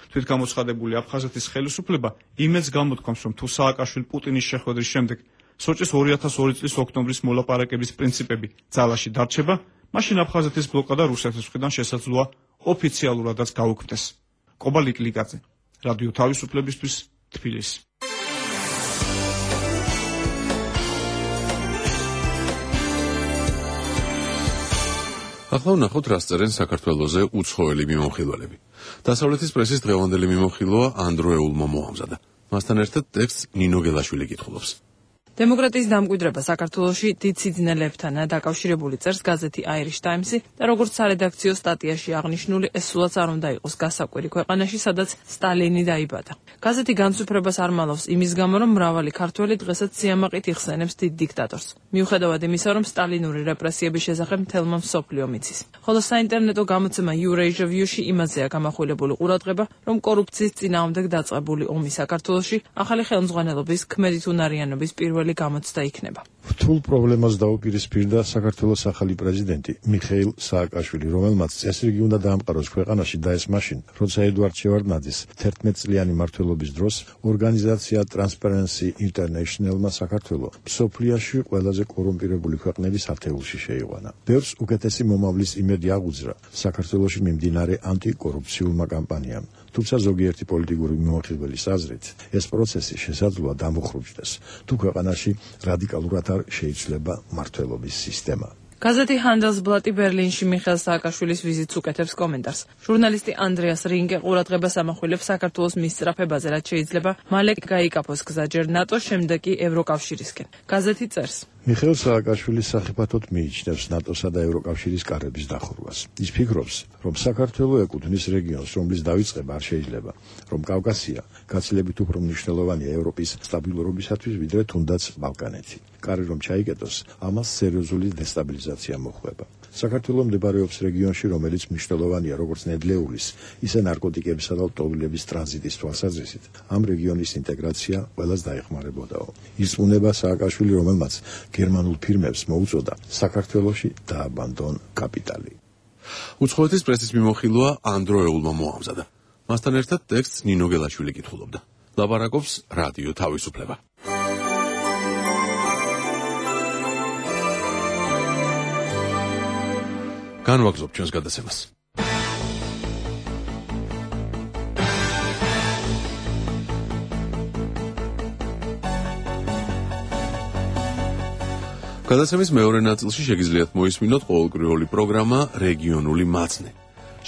თვით გამოცხადებული აფხაზეთის ხელისუფლება იმედს გამოთქვამს, რომ თუ სააკაშვილი პუტინის შეხვედრის შემდეგ სოჭის ორი ათას ორი წლის ოქტომბრის მოლაპარაკების პრინციპები ძალაში დარჩება, მაშინ აფხაზეთის ბლოკადა რუსეთის მხრიდან შესაძლოა ოფიციალურადაც გაუქმდეს. კობა ლიკლიკაძე, რადიო თავისუფლებისთვის, თბილისი. ახლა ვნახოთ, რას წერენ საქართველოზე უცხოელი მიმოხილველები. დასავლეთის პრესის დღევანდელი მიმოხილვა ანდრო ეულმა მოამზადა. მასთან ერთად ტექსტს ნინო გელაშვილი კითხულობს. დემოკრატიის დამკვიდრება საქართველოში დიდ სიძნელებთანაა დაკავშირებული, წერს გაზეთი Irish Times-ი და როგორც სარედაქციო სტატიაში აღნიშნული, ეს სულაც არ უნდა იყოს გასაკვირი ქვეყანაში, სადაც სტალინი დაიბადა. გაზეთი განსუფრებას არ მალავს იმის გამო, რომ მრავალი ქართველი დღესაც სიამაყით იხსენებს დიდ დიქტატორს. მიუხედავად იმისა, რომ სტალინური რეპრესიების შესახებ მთელმა მსოფლიომ იცის. ხოლო საინტერნეტო გამოცემა Eurasia View-ში იმაზეა გამახვილებული ყურადღება, რომ კორუფციის წინააღმდეგ დაწყებული ომი საქართველოში ახალი ხელმძღვანელობის ქმედით უნარიანობის პირველი გამოცდა იქნება. რთულ პრობლემას დაუპირისპირდა საქართველოს ახალი პრეზიდენტი მიხეილ სააკაშვილი, რომელმაც წესრიგი უნდა დაამყაროს ქვეყანაში და ეს მაშინ, როცა ედვარდ შევარდნაძის თერთმეტწლიანი მმართველობის დროს ორგანიზაცია Transparency International-მა საქართველო მსოფლიოში ყველაზე კორუმპირებული ქვეყნების ათეულში შეიყვანა. ბევრს უკეთესი მომავლის იმედი აღუძრა საქართველოში მიმდინარე ანტიკორუფციულმა კამპანიამ. თუმცა ზოგიერთი პოლიტიკური მიმოხილველის აზრით, ეს პროცესი შესაძლოა დამუხრუჭდეს, თუ ქვეყანაში რადიკალურად არ შეიცვლება მმართველობის სისტემა. გაზეთი Handelsblatt ბერლინში მიხეილ სააკაშვილის ვიზიტს უკეთებს კომენტარს. ჟურნალისტი ანდრეას რინგე ყურადღებას ამახვილებს საქართველოს მისწრაფებაზე, რაც შეიძლება მალე გაიკაფოს გზა ჯერ ნატოს, შემდეგ კი ევროკავშირისკენ. გაზეთი წერს: მიხეილ სააკაშვილი სახიფათოდ მიიჩნევს ნატოსა და ევროკავშირის კარების დახურვას. ის ფიქრობს, რომ საქართველო ეკუთვნის რეგიონს, რომლის დავიწყება არ შეიძლება, რომ კავკასია გაცილებით უფრო მნიშვნელოვანია ევროპის სტაბილურობისათვის, ვიდრე თუნდაც ბალკანეთი. კარი რომ ჩაიკეტოს, ამას სერიოზული დესტაბილიზაცია მოხვდება. საქართველო მდებარეობს რეგიონში, რომელიც მნიშვნელოვანია როგორც ნედლეულის, ისე ნარკოტიკებისა და ლტოლვილების ტრანზიტის თვალსაზრისით. ამ რეგიონის ინტეგრაცია ყველას დაეხმარებოდაო. ირწმუნება სააკაშვილი, რომელმაც გერმანულ ფირმებს მოუწოდა საქართველოში დააბანდონ კაპიტალი. უცხოეთის პრესის მიმოხილვა ანდროეულმა მოამზადა. მასთან ერთად ტექსტს ნინო გელაშვილი კითხულობდა. ლაპარაკობს რადიო თავისუფლება. განვაგრძობ ჩვენს გადაცემას. გადაცემის მეორე ნაწილში შეგიძლიათ მოისმინოთ ყოველკვირეული პროგრამა რეგიონული მაცნე.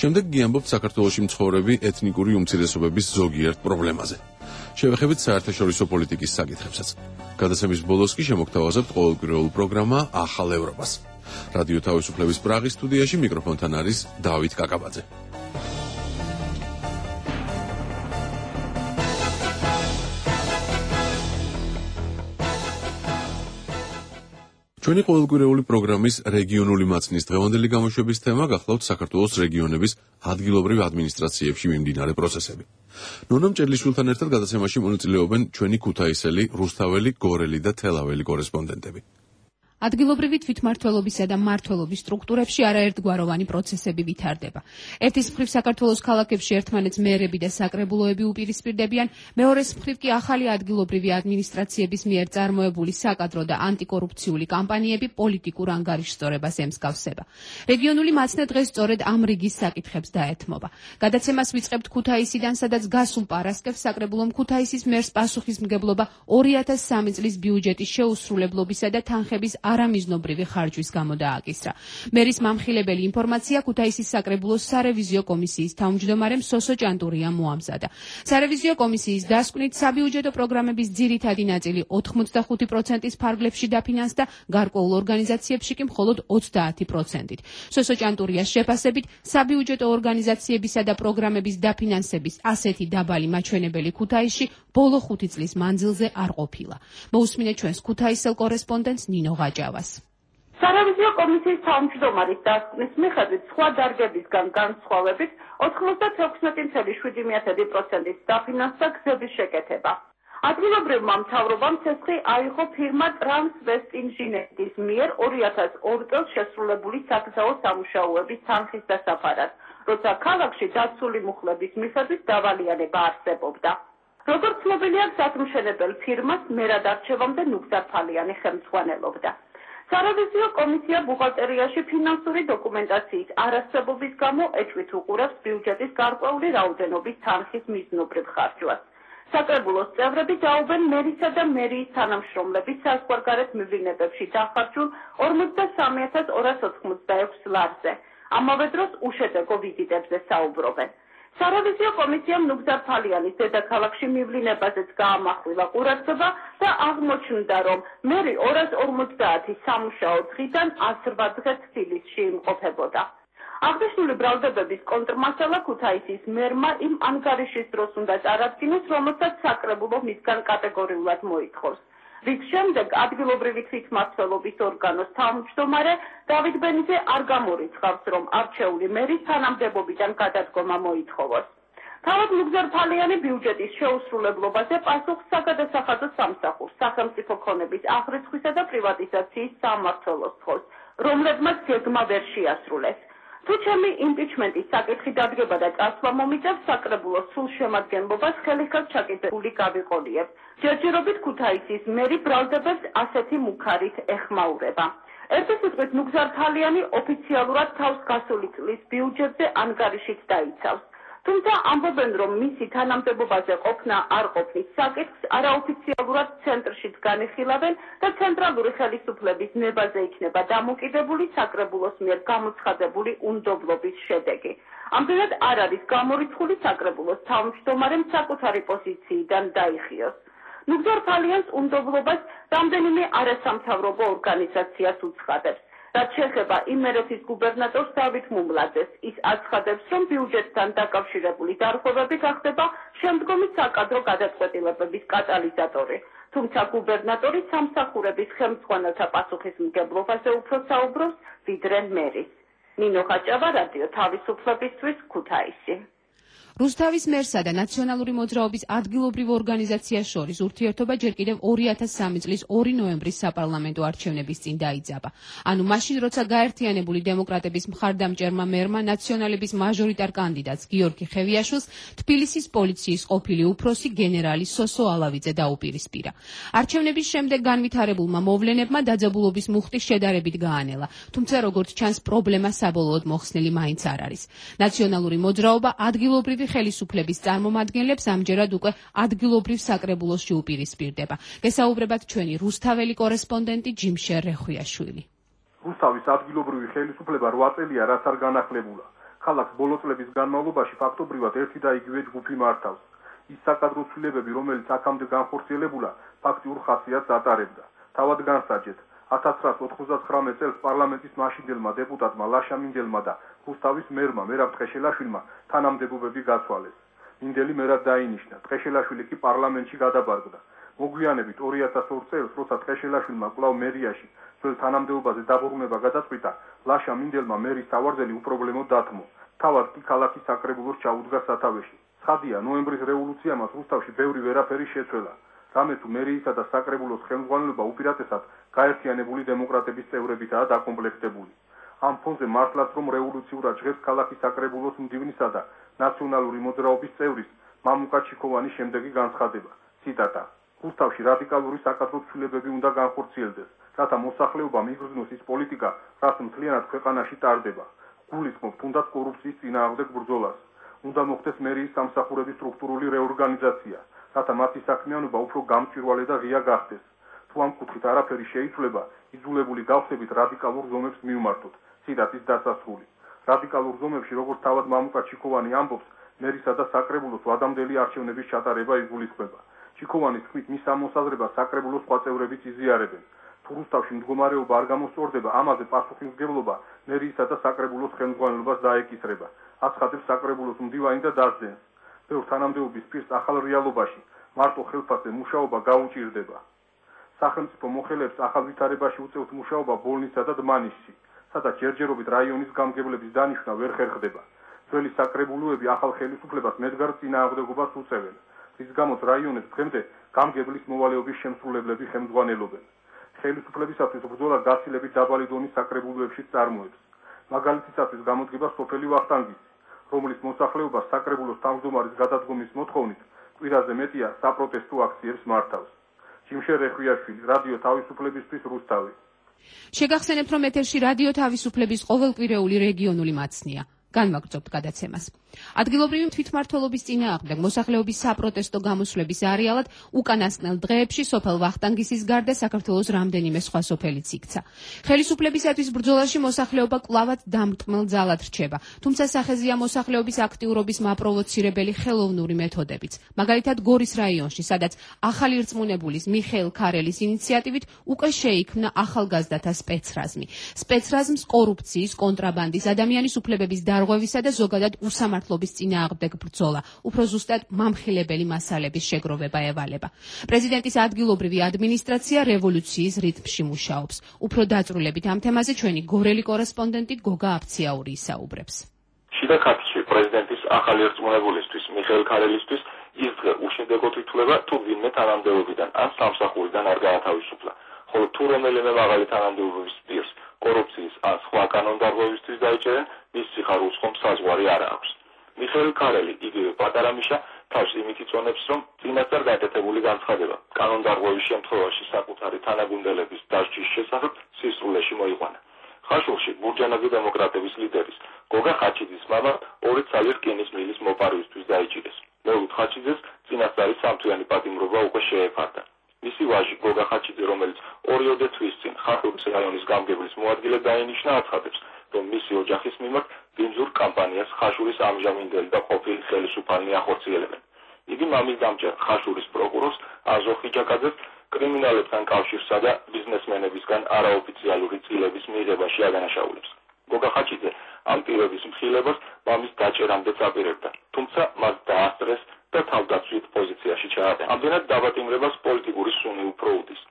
შემდეგ გიამბობთ საქართველოში მცხოვრები ეთნიკური უმცირესობების ზოგიერთ პრობლემაზე. შევეხებით საერთაშორისო პოლიტიკის საკითხებსაც. გადაცემის ბოლოს კი შემოგთავაზებთ ყოველკვირეულ პროგრამა ახალ ევროპას. რადიო თავისუფლების პრაღის სტუდიაში მიკროფონთან არის დავით კაკაბაძე. ჩვენი ყოველკვირეული პროგრამის რეგიონული მაცნის დღევანდელი გამოშვების თემა გახლავთ საქართველოს რეგიონების ადგილობრივ ადმინისტრაციებში მიმდინარე პროცესები. ნონა მჭედლიშვილთან ერთად გადაცემაში მონაწილეობენ ჩვენი ქუთაისელი, რუსთაველი, გორელი და თელაველი კორესპონდენტები. ადგილობრივი თვითმმართველობისა და მმართველობის სტრუქტურებში არაერთგვაროვანი პროცესები ვითარდება. ერთის მხრივ საქართველოს ქალაქებში ერთმანეთს მერები და საკრებულოები უპირისპირდებიან, მეორეს მხრივ კი ახალი ადგილობრივი ადმინისტრაციების მიერ წარმოებული საკადრო და ანტიკორუფციული კამპანიები პოლიტიკურ ანგარიშსწორებას ემსგავსება. რეგიონული მაცნე დღეს სწორედ ამ რიგის საკითხებს დაეთმობა. გადაცემას ვიწყებთ ქუთაისიდან, სადაც გასულ პარასკევს საკრებულომ ქუთაისის მერს პასუხისმგებლობა ორი ათას სამი წლის ბიუჯეტის შეუსრულებლობისა და თანხების არამიზნობრივი ხარჯვის გამო დააკისრა. მერის მამხილებელი ინფორმაცია ქუთაისის საკრებულოს სარევიზიო კომისიის თავმჯდომარემ სოსო ჭანტურიამ მოამზადა. სარევიზიო კომისიის დასკვნით საბიუჯეტო პროგრამების ძირითადი ნაწილი ოთხმოცდახუთი პროცენტის ფარგლებში დაფინანსდა, გარკვეულ ორგანიზაციებში კი მხოლოდ ოცდაათი პროცენტით. სოსო ჭანტურიას შეფასებით, საბიუჯეტო ორგანიზაციებისა და პროგრამების დაფინანსების ასეთი დაბალი მაჩვენებელი ქუთაისში ბოლო ხუთი წლის მანძილზე არ ყოფილა. მოусმინეთ ჩვენს ქუთაისელ კორესპონდენტს ნინო გაჯავას. სარევიზიო კომისიის თავმჯდომარის დასკვნის მიხედვით სხვა დარგებისგან განსხვავებით ოცდაექვსი წელი შვიდი პროცენტის დაფინანსდა გზების შეკეთება. ადგილობრივმა მთავრობამ ცეცხლი აიღო ფირმა Transwest Engineering-ის მიერ ორი ათას ორი წელს შესრულებული საგზაო სამუშაოების თანხის დასაფარად, როცა ქალაქში დაცული მუხლების მიხედვით დავალიანება არსებობდა. როგორც ცნობილია, გზათმშენებელ ფირმას მერად არჩევამდე ნუგზარ ფალიანი ხელმძღვანელობდა. სარევიზიო კომისია ბუღალტერიაში ფინანსური დოკუმენტაციის არარსებობის გამო ეჭვით უყურებს ბიუჯეტის გარკვეული რაოდენობის თანხის მიზნობრივ ხარჯვას. საკრებულოს წევრები დაობენ მერისა და მერიის თანამშრომლების საზღვარგარეთ მივლინებებში დახარჯულ ორმოცდასამი ათას ორას ოთხმოცდაექვსი ლარზე. ამავე დროს უშედეგო ვიზიტებზე საუბრობენ. სარევიზიო კომისიამ ნუგზარ-ფალიანის დედაქალაქში მივლინებაზეც გაამახვილა ყურადღება და აღმოჩნდა, რომ მერი ორას ორმოცდაათი სამუშაო დღიდან ასრვა დღე თბილისში იმყოფებოდა. აღნიშნული ბრალდებების კონტრმასალა ქუთაისის მერმა იმ ანგარიშის დროს უნდა წარადგინოს, რომელსაც საკრებულო მისგან კატეგორიულად მოითხოვს. რის შემდეგ ადგილობრივი თვითმმართველობის ორგანოს თავმჯდომარე დავით ბენიძე არ გამორიცხავს, რომ არჩეული მერის თანამდებობიდან გადადგომა მოითხოვოს. თავად ნუგზარ-ფალიანი ბიუჯეტის შეუსრულებლობაზე პასუხს საგადასახადო სამსახურს, სახელმწიფო ქონების აღრიცხვისა და პრივატიზაციის სამმართველოს თხოვს, რომლებმაც გეგმა ვერ შეასრულეს. თუ ჩემი იმპიჩმენტის საკითხი დადგება და წასვლა მომიწევს, საკრებულოს სულ შემადგენლობას ხელი-ხელს ჩაკიდებული გავიყოლიებ. ჯერჯერობით ქუთაისის მერი ბრალდებებს ასეთი მუქარით ეხმაურება. ერთი სიტყვით ნუგზარ-ფალიანი ოფიციალურად თავს გასული წლის ბიუჯეტზე ანგარიშით დაიცავს. თუმცა ამბობენ, რომ მისი თანამდებობაზე ყოფნა არ ყოფნის საკითხს არაოფიციალურად ცენტრში განიხილავენ და ცენტრალური ხელისუფლების ნებაზე იქნება დამოკიდებული საკრებულოს მიერ გამოცხადებული უნდობლობის შედეგი. ამჟამად არ არის გამორიცხული საკრებულოს თავმჯდომარემ საკუთარი პოზიციიდან დაიხიოს. ნუგზარ-ფალიანს უნდობლობას რამდენიმე არასამთავრობო ორგანიზაციას უცხადებს. რაც შეეხება იმერეთის გუბერნატორს დავით მუმლაძეს, ის აცხადებს, რომ ბიუჯეტთან დაკავშირებული დარღვევები გახდება შემდგომი საკადრო გადაწყვეტილებების კატალიზატორი. თუმცა გუბერნატორი სამსახურების ხელმძღვანელთა პასუხისმგებლობაზე უფრო საუბრობს, ვიდრე მერის. ნინო ხაჭავა, რადიო თავისუფლებისთვის, ქუთაისი. რუსთავის მერსა და ნაციონალური მოძრაობის ადგილობრივ ორგანიზაციას შორის ურთიერთობა ჯერ კიდევ ორი ათას სამი წლის ორი ნოემბრის საპარლამენტო არჩევნების წინ დაიძაბა. ანუ მაშინ, როცა გაერთიანებული დემოკრატების მხარდამჭერმა მერმა ნაციონალების მაჟორიტარ კანდიდატს გიორგი ხევიაშვილს თბილისის პოლიციის ყოფილი უფროსი გენერალი სოსო ალავიძე დაუპირისპირა. არჩევნების შემდეგ განვითარებულმა მოვლენებმა დაძაბულობის მუხტი შედარებით გაანელა, თუმცა როგორც ჩანს, პრობლემა საბოლოოდ მოხსნილი მაინც არ არის. ნაციონალური მოძრაობა ადგილობრივი ხელისუფლების წარმომადგენლებს ამჯერად უკვე ადგილობრივ საკრებულოში უპირისპირდება. გესაუბრებათ ჩვენი რუსთაველი კორესპონდენტი ჯიმშერ რეხვიაშვილი. რუსთავის ადგილობრივი ხელისუფლება რვა წელია რაც არ განახლებულა. ქალაქს ბოლო წლების განმავლობაში ფაქტობრივად ერთი და იგივე ჯგუფი მართავს. ის საკადრო ცვლილებები, რომელიც აქამდე განხორციელებულა, ფაქტიურ ხასიათს ატარებდა. თავად განსაჯეთ, ათას ცხრაას ოთხმოცდათხრამეტ წელს პარლამენტის მაშინდელმა დეპუტატმა ლაშა მინდელმა და რუსთავის მერმა მერაბ ტყეშელაშვილმა თანამდებობები გაცვალეს. მინდელი მერად დაინიშნა, ტყეშელაშვილი კი პარლამენტში გადაბარგდა. მოგვიანებით ორი ათას ორ წელს, როცა ტყეშელაშვილმა კვლავ მერიაში ძველ თანამდებობაზე დაბრუნება გადაწყვიტა, ლაშა მინდელმა მერის სავარძელი უპრობლემოდ დათმო. თავად კი ქალაქის საკრებულოს ჩაუდგა სათავეში. ცხადია, ნოემბრის რევოლუციამაც რუსთავში ბევრი ვერაფერი შეცვალა. რამე თუ მერიისა და საკრებულოს ხელმძღვანელობა უპირატესად გაერთიანებული დემოკრატების წევრებითაა დაკომპლექტებული. ამ ფონზე მართლაც რომ რევოლუციურად ჟღერს ქალაქის საკრებულოს მდივნისა და ნაციონალური მოძრაობის წევრის მამუკა ჩიქოვანის შემდეგი განცხადება. ციტატა: რუსთავში რადიკალური საკადრო ცვლილებები უნდა განხორციელდეს, რათა მოსახლეობამ იგრძნოს ის პოლიტიკა, რაც მთლიანად ქვეყანაში ტარდება. გულისხმობ თუნდაც კორუფციის წინააღმდეგ ბრძოლას. უნდა მოხდეს მერიის სამსახურების სტრუქტურული რეორგანიზაცია, რათა მათი საქმიანობა უფრო გამჭვირვალე და ღია გახდეს. თუ ამ კუთხით არაფერი შეიცვლება, იძულებული გავხდებით რადიკალურ ზომებს მივმართოთ. ციტატის დასასრული. რადიკალურ ზომებში, როგორც თავად მამუკა ჩიქოვანი ამბობს, მერისა და საკრებულოს ვადამდელი არჩევნების ჩატარება იგულისხმება. ჩიქოვანის თქმით, მის ამოსაზრებას საკრებულოს სხვა წევრებიც იზიარებენ. თუ რუსთავში მდგომარეობა არ გამოსწორდება, ამაზე პასუხისმგებლობა მერიისა და საკრებულოს ხელმძღვანელობას დაეკისრება. აცხადებს საკრებულოს მდივანი და დასძენს. ბევრ თანამდებობის პირს ახალ რეალობაში მარტო ხელფასზე მუშაობა გაუჭირდება. სახელმწიფო მოხელეებს ახალ ვითარებაში უწევთ მუშაობა ბოლნისსა და დმანისში, სადაც ჯერჯერობით რაიონის გამგებლების დანიშვნა ვერ ხერხდება. ძველი საკრებულოები ახალ ხელისუფლებას მედგარ წინააღმდეგობას უწევენ, რის გამოც რაიონებს დღემდე გამგებლის მოვალეობის შემსრულებლები ხელმძღვანელობენ. ხელისუფლებისათვის ბრძოლა გაცილებით დაბალი დონის საკრებულოებშიც წარმოებს. მაგალითისათვის გამოდგება სოფელი ვახტანგისი, რომლის მოსახლეობა საკრებულოს თავმჯდომარის გადადგომის მოთხოვნით კვირაზე მეტია საპროტესტო აქციებს მართავს. ჯიმშერ რეხვიაშვილი, რადიო თავისუფლებისთვის, რუსთავი. შეგახსენებთ, რომ ეთერში რადიო თავისუფლების ყოველკვირეული რეგიონული მაცნია. განვაგრძობთ გადაცემას. ადგილობრივი თვითმმართველობის წინააღმდეგ მოსახლეობის საპროტესტო გამოსვლების არეალად უკანასკნელ დღეებში სოფელ ვახტანგისის გარდა საქართველოს რამდენიმე სხვა სოფელიც იქცა. ხელისუფლებისათვის ბრძოლაში მოსახლეობა კვლავაც დამრტმელ ძალად რჩება, თუმცა სახეზეა მოსახლეობის აქტიურობის მაპროვოცირებელი ხელოვნური მეთოდებიც. მაგალითად გორის რაიონში, სადაც ახალი რწმუნებულის მიხეილ ქარელის ინიციატივით უკვე შეიქმნა ახალგაზრდათა სპეცრაზმი. სპეცრაზმს კორუფციის, კონტრაბანდის, ადამიანის უფლებების დარღვევისა და ზოგადად უსამართლობის წინააღმდეგ ბრძოლა, უფრო ზუსტად მამხილებელი მასალების შეგროვება ევალება. პრეზიდენტის ადგილობრივი ადმინისტრაცია რევოლუციის რიტმში მუშაობს. უფრო დაწვრილებით ამ თემაზე ჩვენი გორელი კორესპონდენტი გოგა აფციაური ისაუბრებს. შიდა ქართლში პრეზიდენტის ახალი რწმუნებულისთვის მიხეილ ქარელისთვის ის დღე უშინდეგოდ ითვლება თუ ვინმე თანამდებობიდან ან სამსახურიდან არ გაათავისუფლა, ხოლო თუ რომელიმე მაღალი თანამდებობის პირს კორუფციის ან სხვა კანონდარღვევისთვის დაიჭერენ, მის სიხარულს ხომ საზღვარი არ აქვს. მიხეილ ქარელი, იგივე პატარა მიშა, თავს იმით იწონებს, რომ წინასწარ გაკეთებული განცხადება კანონდარღვევის შემთხვევაში საკუთარი თანაგუნდელების დასჯის შესახებ სისრულეში მოიყვანა. ხაშურში ბურჯანაძე დემოკრატების ლიდერის გოგა ხაჩიძის მამა ორი ცალი რკინის მილის მოპარვისთვის დაიჭირეს. მეუთ ხაჩიძეს წინასწარი სამთვიანი პატიმრობა უკვე შეეფარდა. მისი ვაჟი გოგა ხაჩიძე, რომელიც ორიოდე თვის წინ ხაშურის რაიონის გამგებლის მოადგილედ დაინიშნა, აცხადებს, რომ მისი ოჯახის მიმართ ბინძურ კამპანიას ხაშურის ამჟამინდელი და ყოფილი ხელისუფალნი ახორციელებენ. იგი მამის დამჭერ ხაშურის პროკურორს აზო ხიჯაკაძეს კრიმინალებთან კავშირსა და ბიზნესმენებისგან არაოფიციალური წილების მიღებაში ადანაშაულებს. გოგა ხაჩიძე ამ პირების მხილებას მამის დაჭერამდე აპირებდა, თუმცა მას დაასწრეს და თავდაცვით პოზიციაში ჩააბარა. ამდენად დაბატიმრებას პოლიტიკური სუნი უფრო უდის.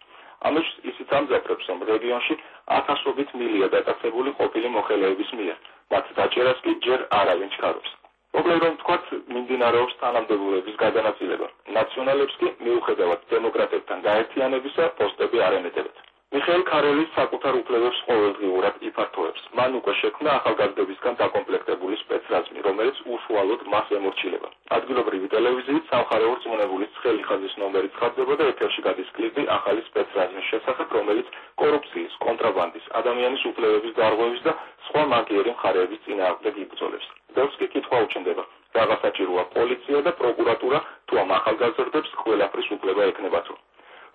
ამის ისიც ამძაფრებს, რომ რეგიონში ათასობით მილია დაკაცებული ყოფილი მოხელეების მიერ, მათ დაჭერას კი ჯერ არავინ ჩქარობს. მოკლედ რომ ვთქვათ, მიმდინარეობს თანამდებობების გადანაწილება. ნაციონალებს კი მიუხედავად დემოკრატებთან გაერთიანებისა პოსტები არ ემეტებათ. მიხეილ ქარელის საკუთარ უფლებებს ყოველდღიურად იფართოებს. მან უკვე შექმნა ახალგაზრდებისგან დაკომპლექტებული სპეცრაზმი, რომელიც უშუალოდ მას ემორჩილება. ადგილობრივი ტელევიზიით სამხარეო რწმუნებულის ცხელი ხაზის ნომერი ცხადდება და ეთერში გადის კლიპი ახალი სპეცრაზმის შესახებ, რომელიც კორუფციის, კონტრაბანდის, ადამიანის უფლებების დარღვევის და სხვა მაგიერი მხარეების წინააღმდეგ იბრძოლებს. დევს კი კითხვა უჩნდება, რაღა საჭიროა პოლიცია და პროკურატურა, თუ ამ ახალგაზრდებს ყველაფრის უფლება ექნებათო.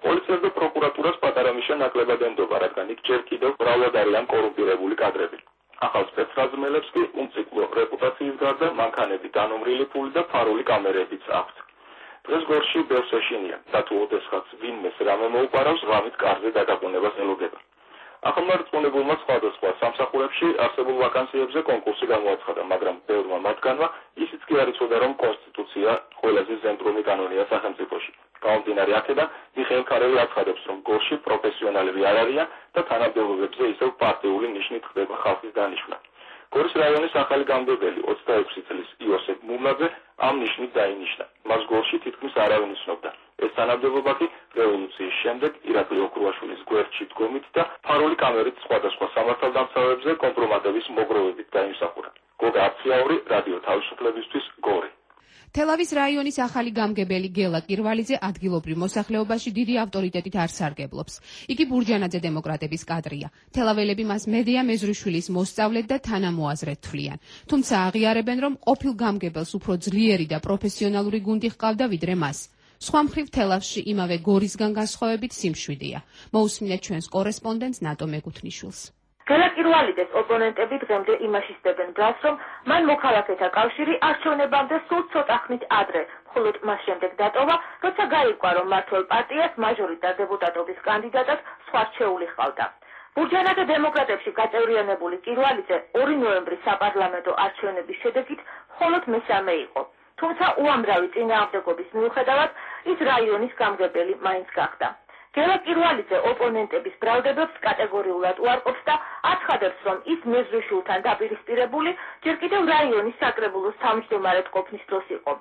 პოლიციას და პროკურატურას პატარა მიშა ნაკლებად ენდობა, რადგან იქ ჯერ კიდევ მრავლად არიან კორუმპირებული კადრები. ახალ სპეცრაზმელებს კი უმციკლო რეპუტაციის გარდა მანქანები, დანომრილი ფული და ფარული კამერებიც აქვთ. დღეს გორში ბევრს ეშინია და თუ ოდესღაც ვინმეს რამე მოუპარავს, ღამით კარზე დაგაყუნებას ელოდება. ახალმა რწმუნებულმა სხვადასხვა სამსახურებში არსებულ ვაკანსიებზე კონკურსი გამოაცხადა, მაგრამ ბევრმა მათგანმა ისიც კი არ იცოდა, რომ კონსტიტუცია ყველაზე ზემდრომი კანონია სახელმწიფოში. გამომდინარე აქედან, მიხეილ ქარელი აცხადებს, რომ გორში პროფესიონალები არ არიან და თანამდებობებზე ისევ პარტიული ნიშნით ხდება ხალხის დანიშვნა. გორის რაიონის ახალი გამგებელი ოცდაექვსი წლის იოსებ მუმლაძე ამ ნიშნით დაინიშნა. მას გორში თითქმის არავინ იცნობდა. ეს თანამდებობა კი რევოლუციის შემდეგ ირაკლი ოქრუაშვილის გვერდში დგომით და ფარული კამერით სხვადასხვა სამართალდამცავებზე კომპრომატების მოგროვებით დაიმსახურა. გოგა აფციაური, რადიო თავისუფლებისთვის, გორი. თელავის რაიონის ახალი გამგებელი გელა კირვალიძე ადგილობრივ მოსახლეობაში დიდი ავტორიტეტით არ სარგებლობს. იგი ბურჯანაძე დემოკრატების კადრია. თელაველები მას მედია მეზრიშვილის მოსწავლედ და თანამოაზრედ თვლიან. თუმცა აღიარებენ, რომ ყოფილ გამგებელს უფრო ძლიერი და პროფესიონალური გუნდი ჰყავდა ვიდრე მას. სხვა მხრივ თელავში იმავე გორისგან განსხვავებით სიმშვიდეა. მოусმინეთ ჩვენს კორესპონდენტს ნატო მეკუთნიშვილს. გელა კირვალიძეს ოპონენტები დღემდე იმაშისდებენ ბრალს, რომ მან მოქალაქეთა კავშირი არჩევნებამდე სულ ცოტა ხნით ადრე, მხოლოდ მას შემდეგ დატოვა, როცა გაირკვა, რომ მმართველ პარტიას მაჟორიტარ დეპუტატობის კანდიდატად სხვა რჩეული ჰყავდა. ბურჯანაძე დემოკრატებში გაწევრიანებული კირვალიძე ორი ნოემბრის საპარლამენტო არჩევნების შედეგით მხოლოდ მესამე იყო. თუმცა უამრავი წინააღმდეგობის მიუხედავად ის რაიონის გამგებელი მაინც გახდა. გელა კირვალიძე ოპონენტების ბრალდებებს კატეგორიულად უარყოფს და აცხადებს, რომ ის მეზრიშვილთან დაპირისპირებული ჯერ კიდევ რაიონის საკრებულოს თავმჯდომარედ ყოფნის დროს იყო.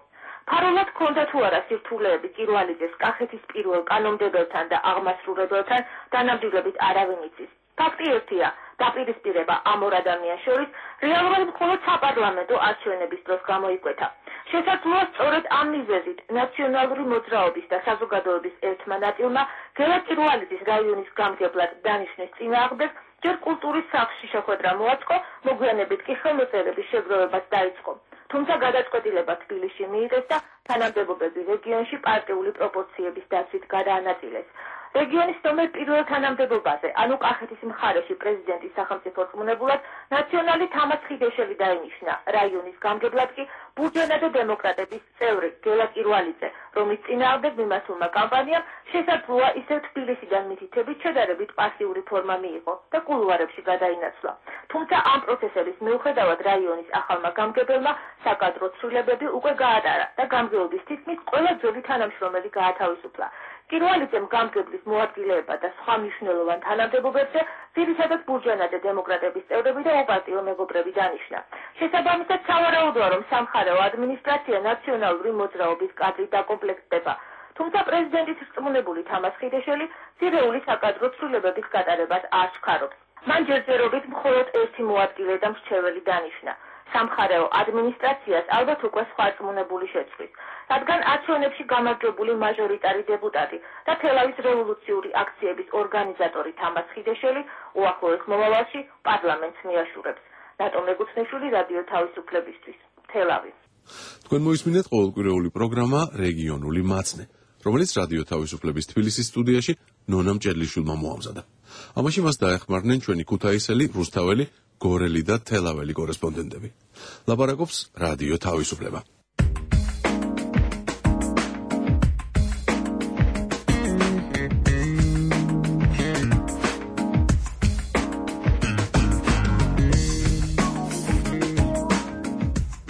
ფარულად ჰქონდა თუ არა სირთულეები კირვალიძეს კახეთის პირველ კანონმდებელთან და აღმასრულებელთან დანამდვილებით არავინ იცის. ფაქტი ერთია, დაპირისპირება ამ ორ ადამიანს შორის რეალურად მხოლოდ საპარლამენტო არჩევნების დროს გამოიკვეთა. შესაძლოა სწორედ ამ მიზეზით ნაციონალური მოძრაობის და საზოგადოების ერთმა ნაწილმა გელა კირვალიძის რაიონის გამგებლად დანიშნეს წინააღმდეგ ჯერ კულტურის სახლში შეხვედრა მოაწყო, მოგვიანებით კი ხელმოწერების შეგროვებაც დაიწყო. თუმცა გადაწყვეტილება თბილისში მიიღეს და თანამდებობები რეგიონში პარტიული პროპორციების დაცვით გადაანაწილეს. რეგიონის ნომერ პირველ თანამდებობაზე, ანუ კახეთის მხარეში პრეზიდენტის სახელმწიფო რწმუნებულად ნაციონალი თამაზ ხიდეშელი დაინიშნა. რაიონის გამგებლად კი ბურჯანადო დემოკრატების წევრი გელა კირვალიძე, რომლის წინააღმდეგ მიმართულმა კამპანიამ შესაძლოა ისევ თბილისიდან მითითებით შედარებით პასიური ფორმა მიიღო და კულუარებში გადაინაცვლა. თუმცა ამ პროცესების მიუხედავად რაიონის ახალმა გამგებელმა საკადრო ცვლილებები უკვე გაატარა და გამგეობის თითქმის ყველა ძველი თანამშრომელი გაათავისუფლა. კირვალიძემ გამგებლის მოადგილეება და სხვა მნიშვნელოვან თანამდებობებზე ძირითადად ბურჯანადე დემოკრატების წევრები და უპარტიო მეგობრები დანიშნა. შესაბამისად, სავარაუდოა, რომ სამხარეო ადმინისტრაცია ნაციონალური მოძრაობის კადრით დაკომპლექტდება. თუმცა პრეზიდენტის რწმუნებული თამაზ ხიდეშელი ძირეული საკადრო ცვლილებების გატარებას არ ჩქარობს. მან ჯერჯერობით მხოლოდ ერთი მოადგილე და მრჩეველი დანიშნა. სამხარეო ადმინისტრაციას ალბათ უკვე სხვა რწმუნებული შეცვლის, რადგან არჩევნებში გამარჯვებული მაჟორიტარი დეპუტატი და თელავის რევოლუციური აქციების ორგანიზატორი თამაზ ხიდეშელი უახლოეს მომავალში პარლამენტს მიაშურებს. ნატო მეგუცნიშვილი, რადიო თავისუფლებისთვის, თელავი. თქვენ მოისმინეთ ყოველკვირეული პროგრამა რეგიონული მაცნე, რომელიც რადიო თავისუფლების თბილისის სტუდიაში ნონა მჭედლიშვილმა მოამზადა. ამაში მას დაეხმარნენ ჩვენი ქუთაისელი, რუსთაველი, გორელი და თელაველი კორესპონდენტები. ლაპარაკობს რადიო თავისუფლება.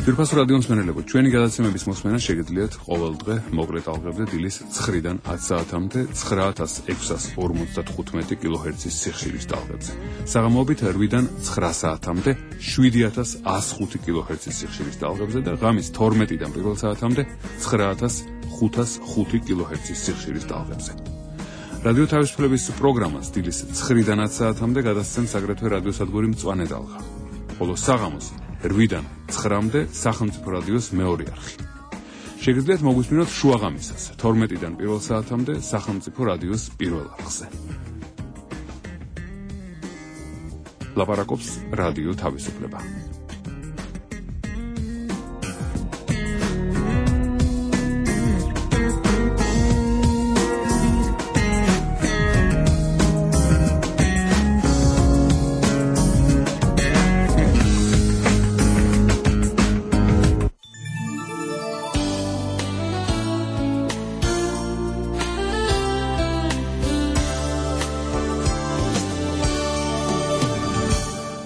ძვირფასო რადიო მსმენელებო, ჩვენი გადაცემების მოსმენა შეგიძლიათ ყოველდღე მოკლე ტალღებზე დილის ცხრიდან ათ საათამდე ცხრა ათას ექვსას ორმოცდათხუთმეტი კილოჰერცის სიხშირის ტალღებზე. საღამოობით რვიდან ცხრა საათამდე შვიდი ათას ასი ხუთი კილოჰერცის სიხშირის ტალღებზე და ღამის თორმეტიდან პირველ საათამდე ცხრა ათას ხუთას ხუთი კილოჰერცის სიხშირის ტალღებზე. რადიო თავისუფლების პროგრამას დილის ცხრიდან ათ საათამდე გადასცემს აგრეთვე რადიოსადგური მწვანე ტალღა. ხოლო საღამოს რვიდან ცხრამდე სახელმწიფო რადიოს მეორე არხი. შეგიძლიათ მოგვისმინოთ შუაღამისას თორმეტიდან პირველ საათამდე სახელმწიფო რადიოს პირველ არხზე. ლაპარაკობს რადიო თავისუფლება.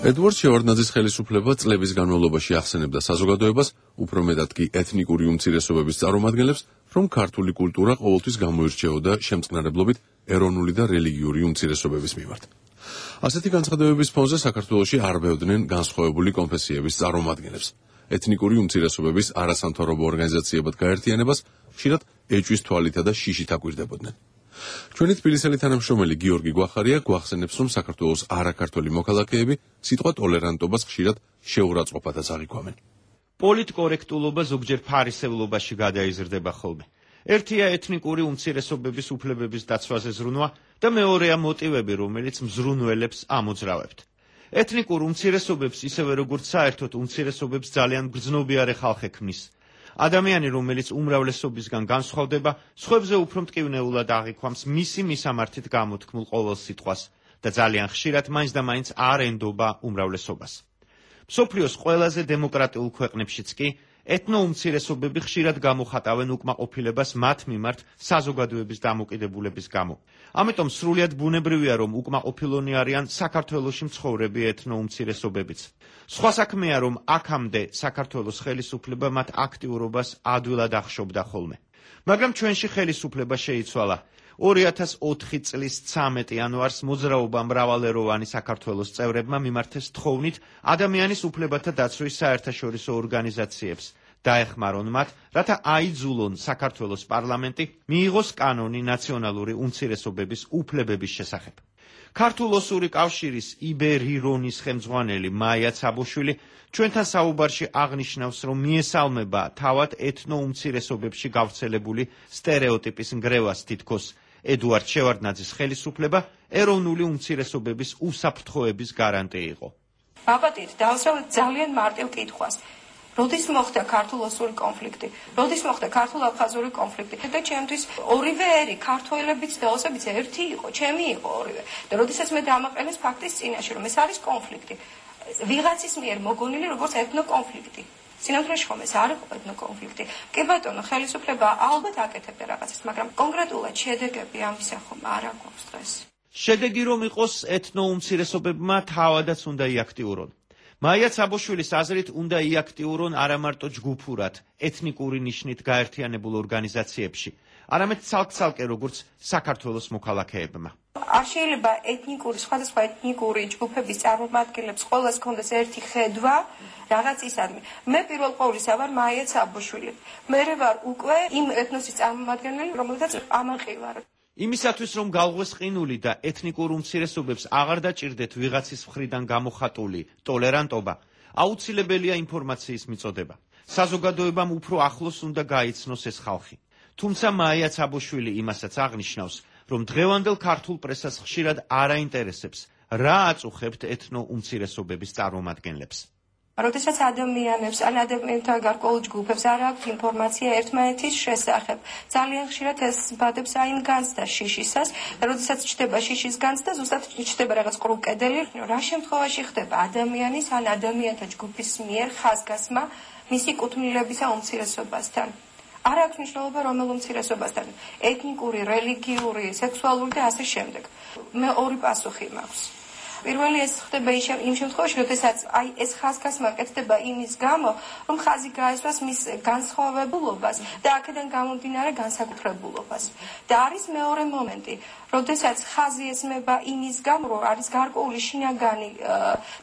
ედვარდ შევარდნაძის ხელისუფლება წლების განმავლობაში ახსენებდა საზოგადოებას, უფრო მეტად კი ეთნიკური უმცირესობების წარმომადგენლებს, რომ ქართული კულტურა ყოველთვის გამოირჩეოდა შემწყნარებლობით ეროვნული და რელიგიური უმცირესობების მიმართ. ასეთი განცხადებების ფონზე საქართველოში არბევდნენ განსხვავებული კონფესიების წარმომადგენლებს. ეთნიკური უმცირესობების არასამთავრობო ორგანიზაციებად გაერთიანებას ხშირად ეჭვის თვალითა და შიშით აკვირდებოდნენ. ჩვენი თბილისელი თანამშრომელი გიორგი გვახარია გვახსენებს, რომ საქართველოს არაქართველი მოქალაქეები სიტყვა ტოლერანტობას ხშირად შეურაცხყოფათაც აღიქვამენ. პოლიტკორექტულობა ზოგჯერ ფარისევლობაში გადაიზრდება ხოლმე. ერთია ეთნიკური უმცირესობების უფლებების დაცვაზე ზრუნვა და მეორეა მოტივები, რომელიც მზრუნველებს ამოძრავებთ. ეთნიკურ უმცირესობებს ისევე როგორც საერთოდ უმცირესობებს ძალიან გრძნობიარე ხალხი ქმნის. ადამიანი, რომელიც უმრავლესობისგან განსხვავდება, სხვებზე უფრო მტკივნეულად აღიქვამს მისი მისამართით გამოთქმულ ყოველ სიტყვას და ძალიან ხშირად მაინც და მაინც არ ენდობა უმრავლესობას. მსოფლიოს ყველაზე დემოკრატიულ ქვეყნებშიც კი ეთნოუმცირესობები ხშირად გამოხატავენ უკმაყოფილებას მათ მიმართ საზოგადოების დამოკიდებულების გამო. ამიტომ სრულიად ბუნებრივია, რომ უკმაყოფილონი არიან საქართველოში მცხოვრები ეთნოუმცირესობებიც. სხვა საქმეა, რომ აქამდე საქართველოს ხელისუფლება მათ აქტიურობას ადვილად ახშობდა ხოლმე. მაგრამ ჩვენში ხელისუფლება შეიცვალა. ორი ათას ოთხი წლის ცამეტი იანვარს მოძრაობა მრავალეროვანი საქართველოს წევრებმა მიმართეს თხოვნით ადამიანის უფლებათა დაცვის საერთაშორისო ორგანიზაციებს. დაეხმარონ მათ, რათა აიძულონ საქართველოს პარლამენტი მიიღოს კანონი ნაციონალური უმცირესობების უფლებების შესახებ. ქართულ-ოსური კავშირის იბერირონის ხელმძღვანელი მაია ცაბოშვილი ჩვენთან საუბარში აღნიშნავს, რომ მიესალმება თავად ეთნოუმცირესობებში გავრცელებული სტერეოტიპის ნგრევას თითქოს ედუარდ შევარდნაძის ხელისუფლება ეროვნული უმცირესობების უსაფრთხოების გარანტი იყო. ვაპატით დავსვათ ძალიან მარტივ კითხვას. როდის მოხდა ქართულ-ოსური კონფლიქტი, როდის მოხდა ქართულ-აფხაზური კონფლიქტი და ჩემთვის ორივე ერი ქართველებიც და ოსებიც ერთი იყო, ჩემი იყო ორივე და როდესაც მე დამაყენეს ფაქტის წინაშე რომ ეს არის კონფლიქტი ვიღაცის მიერ მოგონილი როგორც ეთნო კონფლიქტი სინამდვილეში ხომ ეს არ იყო ეთნო კონფლიქტი კი ბატონო ხელისუფლება ალბათ აკეთებდა რაღაცას მაგრამ კონკრეტულად შედეგები ამისა ხომ არ აქვს დღეს შედეგი რომ იყოს ეთნო უმცირესობებმა თავადაც უნდა იაქტიურონ მაია ცაბოშვილის აზრით უნდა იაქტიურონ არა მარტო ჯგუფურად ეთნიკური ნიშნით გაერთიანებულ ორგანიზაციებში არამედ ცალკ-ცალკე როგორც საქართველოს მოქალაქეებმა არ შეიძლება ეთნიკური სხვადასხვა ეთნიკური ჯგუფების წარმომადგენლებს ყოველას ჰქონდეს ერთი ხედვა რაღაც ისადმი მე პირველ ყოვლისა ვარ მაია ცაბოშვილი მე ვარ უკვე იმ ეთნოსის წარმომადგენელი რომელთაც ამაყი ვარ იმისათვის რომ galvos ყინული და ეთნიკურ უმცირესობებს აღარ დაჭირდეთ ვიღაცის მხრიდან გამოხატული ტოლერანტობა აუცილებელია ინფორმაციის მიწოდება საზოგადოებამ უფრო ახლოს უნდა გაიცნოს ეს ხალხი თუმცა მაია ცაბოშვილი იმასაც აღნიშნავს რომ დღევანდელ ქართულ პრესას ხშირად არ აინტერესებს რა აწუხებთ ეთნო უმცირესობების წარმომადგენლებს როდესაც ადამიანებს ან ადამიანთა გარკვეულ ჯგუფებს არ აქვთ ინფორმაცია ერთმანეთის შესახებ ძალიან ხშირად ეს ბადებს აინ განცდა შიშისას და როდესაც ჩდება შიშის განცდა ზუსტად ჩდება რაღაც ყრუ კედელი რა შემთხვევაში ხდება ადამიანის ან ადამიანთა ჯგუფის მიერ ხაზგასმა მისი კუთვნილებისა უმცირესობასთან არ აქვს მნიშვნელობა რომელ უმცირესობასთან ეთნიკური, რელიგიური, სექსუალური და ასე შემდეგ მე ორი პასუხი მაქვს პირველი ეს ხდება იმ შემთხვევაში, როდესაც აი ეს ხაზგასმა კეთდება იმის გამო, რომ ხაზი გაესვას მის განსხვავებულობას და აქედან გამომდინარე განსაკუთრებულობას. და არის მეორე მომენტი, როდესაც ხაზი ესმება იმის გამო, რომ არის გარკვეული შინაგანი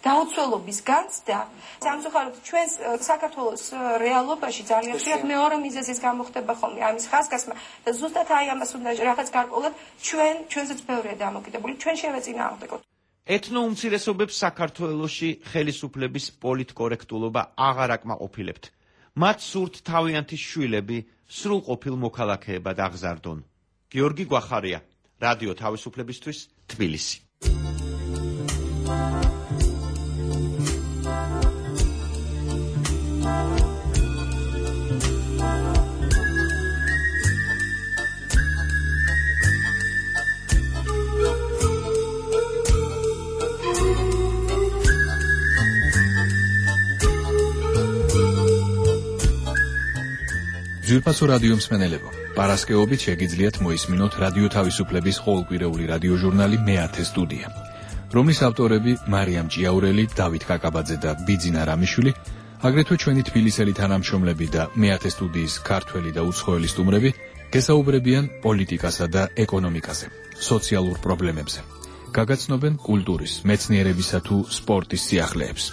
დაუცველობის განცდა. სამწუხაროდ ჩვენს საქართველოს რეალობაში ძალიან ხშირად მეორე მიზეზის გამო ხდება ხოლმე ამის ხაზგასმა და ზუსტად აი ამას უნდა რაღაც გარკვეულად ჩვენ ჩვენზეც ბევრია დამოკიდებული, ჩვენ შევეწინააღმდეგოთ. ეთნო უმცირესობებს საქართველოში ხელისუფლების პოლიტკორექტულობა აღარ აკმაყოფილებთ. მათ სურთ თავიანთი შვილები სრულყოფილ მოქალაქეებად აღზარდონ. გიორგი გვახარია, რადიო თავისუფლებისთვის, თბილისი. ძვირფასო რადიო მსმენელებო, პარასკევობით შეგიძლიათ მოისმინოთ რადიო თავისუფლების ყოველკვირეული რადიოჟურნალი მეათე სტუდია, რომლის ავტორები მარიამ ჭიაურელი, დავით კაკაბაძე და ბიძინა რამიშვილი, აგრეთვე ჩვენი თბილისელი თანამშრომლები და მეათე სტუდიის ქართველი და უცხოელი სტუმრები გესაუბრებიან პოლიტიკასა და ეკონომიკაზე, სოციალურ პრობლემებზე. გაგაცნობენ კულტურის, მეცნიერებისა თუ სპორტის სიახლეებს.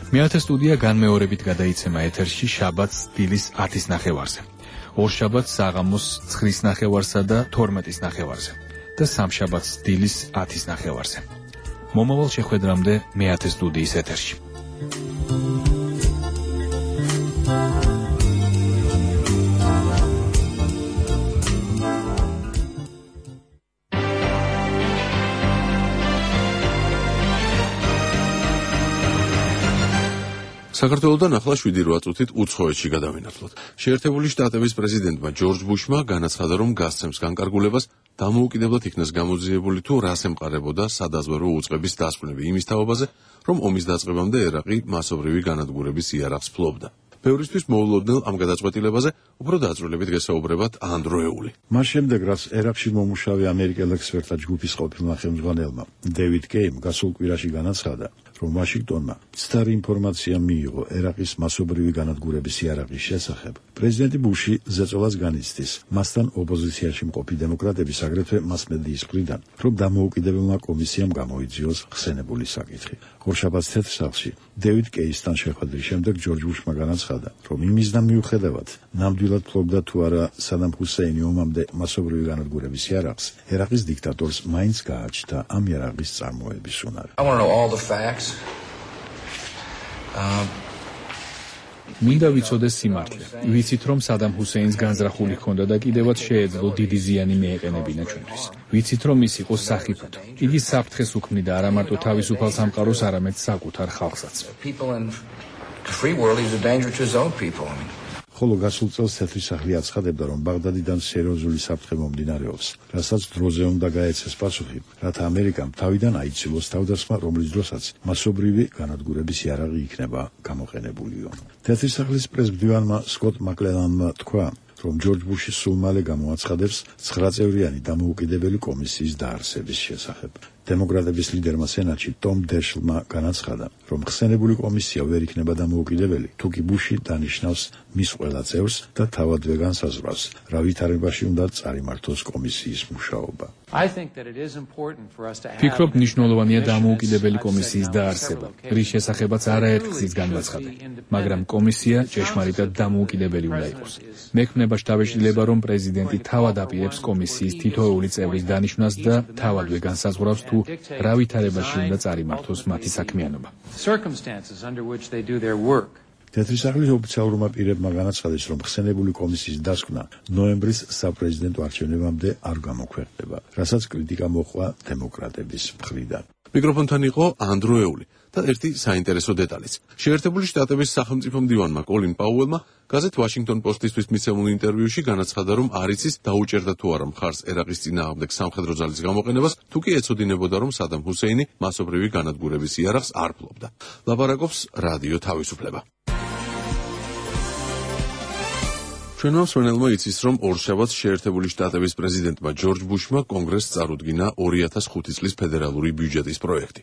მეათე სტუდია განმეორებით გადაიცემა ეთერში შაბათს დილის ათის ნახევარზე, ორშაბათს საღამოს ცხრის ნახევარსა და თორმეტის ნახევარზე და სამშაბათს დილის ათის ნახევარზე. მომავალ შეხვედრამდე მეათე სტუდიის ეთერში. საქართველოდან ახლა შვიდი რვა წუთით უცხოეთში გადავინაცვლოთ. შეერთებული შტატების პრეზიდენტმა ჯორჯ ბუშმა განაცხადა, რომ გასცემს განკარგულებას დამოუკიდებლად იქნას გამოძიებული თუ რას ემყარებოდა სადაზვერვო უწყების დასკვნები იმის თაობაზე, რომ ომის დაწყებამდე ერაყი მასობრივი განადგურების იარაღს ფლობდა. ბევრისთვის მოულოდნელ ამ გადაწყვეტილებაზე უფრო დაწვრილებით გესაუბრებათ ანდროეული. მას შემდეგ, რაც ერაყში მომუშავე ამერიკელ ექსპერტთა ჯგუფის ყოფილმა ხელმძღვანელმა დევიდ კეიმ გასულ კვირაში განაცხადა, რომ ვაშინგტონმა მცდარი ინფორმაცია მიიღო ერაყის მასობრივი განადგურების იარაღის შესახებ, პრეზიდენტი ბუში ზეწოლას განიცდის მასთან ოპოზიციაში მყოფი დემოკრატების აგრეთვე მასმედიის მხრიდან, რომ დამოუკიდებელმა კომისიამ გამოიძიოს ხსენებული საკითხი. ორშაბათს თეთრსაღში დევიდ კეისთან შეხვედრის შემდეგ ჯორჯ ბუშმა განაცხადა, რომ იმისდან მიუხედავად ნამდვილად ფლობდა თუ არა სადამ ჰუსეინი ომამდე მასობრივი განადგურების იარაღს, ერაყის დიქტატორს მაინც გააჩნდა ამ იარაღის წარმოების უნარი. I want to know all the facts. Uh, მინდა ვიცოდეს სიმართლე. ვიცით, რომ სადამ ჰუსეინს განზრახული ჰქონდა და კიდევაც შეეძლო დიდი ზიანი მიეყენებინა ჩვენთვის. ვიცით, რომ ის იყო სახიფათო. იგი საფრთხეს უქმნიდა არა მარტო თავისუფალ სამყაროს, არამედ საკუთარ ხალხსაც. ხოლო გასულ წელს თეთრი სახლი აცხადებდა, რომ ბაღდადიდან სერიოზული საფრთხე მომდინარეობს, რასაც დროზე უნდა გაეცეს პასუხი, რათა ამერიკამ თავიდან აიცილოს თავდასხმა, რომლის დროსაც მასობრივი განადგურების იარაღი იქნება გამოყენებულიო. თეთრი სახლის პრესმდივანმა სკოტ მაკლენანმა თქვა, რომ ჯორჯ ბუში სულ მალე გამოაცხადებს ცხრაწევრიანი დამოუკიდებელი კომისიის დაარსების შესახებ. დემოკრატების ლიდერმა სენატში ტომ დეშლმა განაცხადა, რომ ხსენებული კომისია ვერ იქნება დამოუკიდებელი, თუკი ბუში დანიშნავს მის ყველა წევრს და თავადვე განსაზღვრავს, რა ვითარებაში უნდა წარიმართოს კომისიის მუშაობა. ფიქრობ, მნიშვნელოვანია დამოუკიდებელი კომისიის დაარსება, რის შესახებაც არაერთ გზით განვაცხადე, მაგრამ კომისია ჭეშმარიტად დამოუკიდებელი უნდა იყოს. მექმნება შთაბეჭდილება, რომ პრეზიდენტი თავად აპირებს კომისიის თითოეული წევრის დანიშვნას და თავადვე განსაზღვრავს, თუ რა ვითარებაში უნდა წარიმართოს მათი საქმიანობა. თეთრი სახლის ოფიციალურმა პირებმა განაცხადეს, რომ ხსენებული კომისიის დასკვნა ნოემბრის საპრეზიდენტო არჩევნებამდე არ გამოქვეყნდება, რასაც კრიტიკა მოჰყვა დემოკრატების მხრიდან. მიკროფონთან იყო ანდროეული და ერთი საინტერესო დეტალიც. შეერთებული შტატების სახელმწიფო მდივანმა კოლინ პაუელმა გაზეთ ვაშინგტონ პოსტისთვის მიცემულ ინტერვიუში განაცხადა, რომ არ იცის დაუჭერდა თუ არა მხარს ერაყის წინააღმდეგ სამხედრო ძალის გამოყენებას, თუ კი ეცოდინებოდა, რომ სადამ ჰუსეინი მასობრივი განადგურების იარაღს არ ფლობდა. ლაპარაკობს რადიო თავისუფლება. ჩვენმა მსმენელმა იცის, რომ ორშაბათს შეერთებული შტატების პრეზიდენტმა ჯორჯ ბუშმა კონგრესს წარუდგინა ორი ათას ხუთი წლის ფედერალური ბიუჯეტის პროექტი,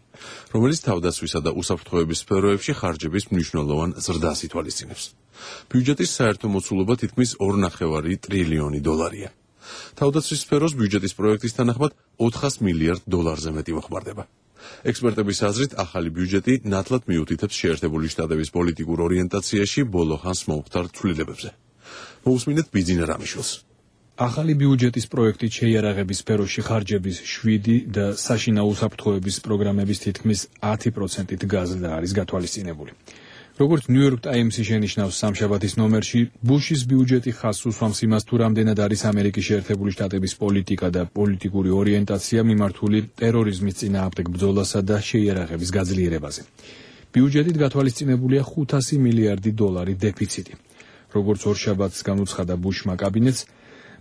რომელიც თავდაცვისა და უსაფრთხოების სფეროებში ხარჯების მნიშვნელოვან ზრდას ითვალისწინებს. ბიუჯეტის საერთო მოცულობა თითქმის ორ ნახევარი ტრილიონი დოლარია. თავდაცვის სფეროს ბიუჯეტის პროექტის თანახმად ოთხას მილიარდ დოლარზე მეტი მოხმარდება. ექსპერტების აზრით, ახალი ბიუჯეტი ნათლად მიუთითებს შეერთებული შტატების პოლიტიკურ ორიენტაციაში ბოლო ხანს მომხდარ ცვლილებებზე. მოусმინეთ ბიძინა რამიშვილს. ახალი ბიუჯეტის პროექტით შეიარაღების სფეროში ხარჯების შვიდი და საშინაო უსაფრთხოების პროგრამების თითქმის ათი პროცენტით გაზრდა არის გათვალისწინებული. როგორც ნიუ-იორკ ტაიმსი შენიშნავს სამშაბათის ნომერში, ბუშის ბიუჯეტი ხაზს უსვამს იმას, თუ რამდენად არის ამერიკის შეერთებული შტატების პოლიტიკა და პოლიტიკური ორიენტაცია მიმართული ტერორიზმის წინააღმდეგ ბრძოლასა და შეიარაღების გაძლიერებაზე. ბიუჯეტით გათვალისწინებულია ხუთასი მილიარდი დოლარი დეფიციტი. როგორც ორშაბათს განუცხადა ბუშმა კაბინეტს,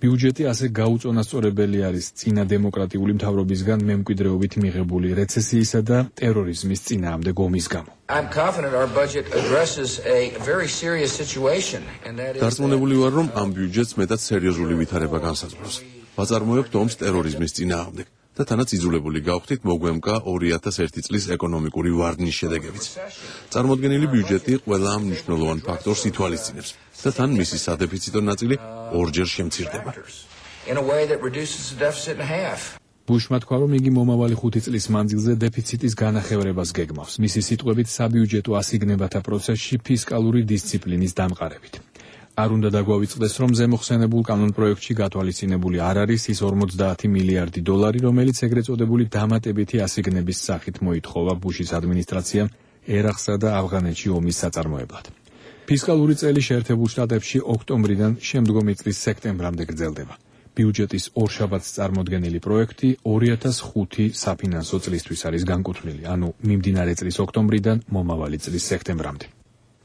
ბიუჯეტი ასე გაუწონასწორებელი არის წინა დემოკრატიული მთავრობისგან მემკვიდრეობით მიღებული რეცესიისა და ტერორიზმის წინააღმდეგ ომის გამო. დარწმუნებული ვარ, რომ ამ ბიუჯეტს მეტად სერიოზული ვითარება განსაზღვრავს. ვაწარმოებთ ომს ტერორიზმის წინააღმდეგ და თანაც იძულებული გავხდით მოგვემკა ორი ათას ერთი წლის ეკონომიკური ვარდნის შედეგებიც. წარმოდგენილი ბიუჯეტი ყველა ამ მნიშვნელოვან ფაქტორს ითვალისწინებს და თან მისი სადეფიციტო ნაწილი ორჯერ შემცირდება. ბუშმა თქვა, რომ იგი მომავალი ხუთი წლის მანძილზე დეფიციტის განახევრებას გეგმავს, მისი სიტყვებით საბიუჯეტო ასიგნებათა პროცესში ფისკალური დისციპლინის დამყარებით. არ უნდა დაგვავიწყდეს, რომ ზემოხსენებულ კანონპროექტში გათვალისწინებული არ არის ის ორმოცდაათი მილიარდი დოლარი, რომელიც ეგრეთ წოდებული დამატებითი ასიგნების სახით მოითხოვა ბუშის ადმინისტრაციამ ერაყსა და ავღანეთში ომის საწარმოებლად. ფისკალური წელი შეერთებულ შტატებში ოქტომბრიდან შემდგომი წლის სექტემბრამდე გრძელდება. ბიუჯეტის ორშაბათს წარმოდგენილი პროექტი ორი ათას ხუთი საფინანსო წლისთვის არის განკუთვნილი, ანუ მიმდინარე წლის ოქტომბრიდან მომავალი წლის სექტემბრამდე.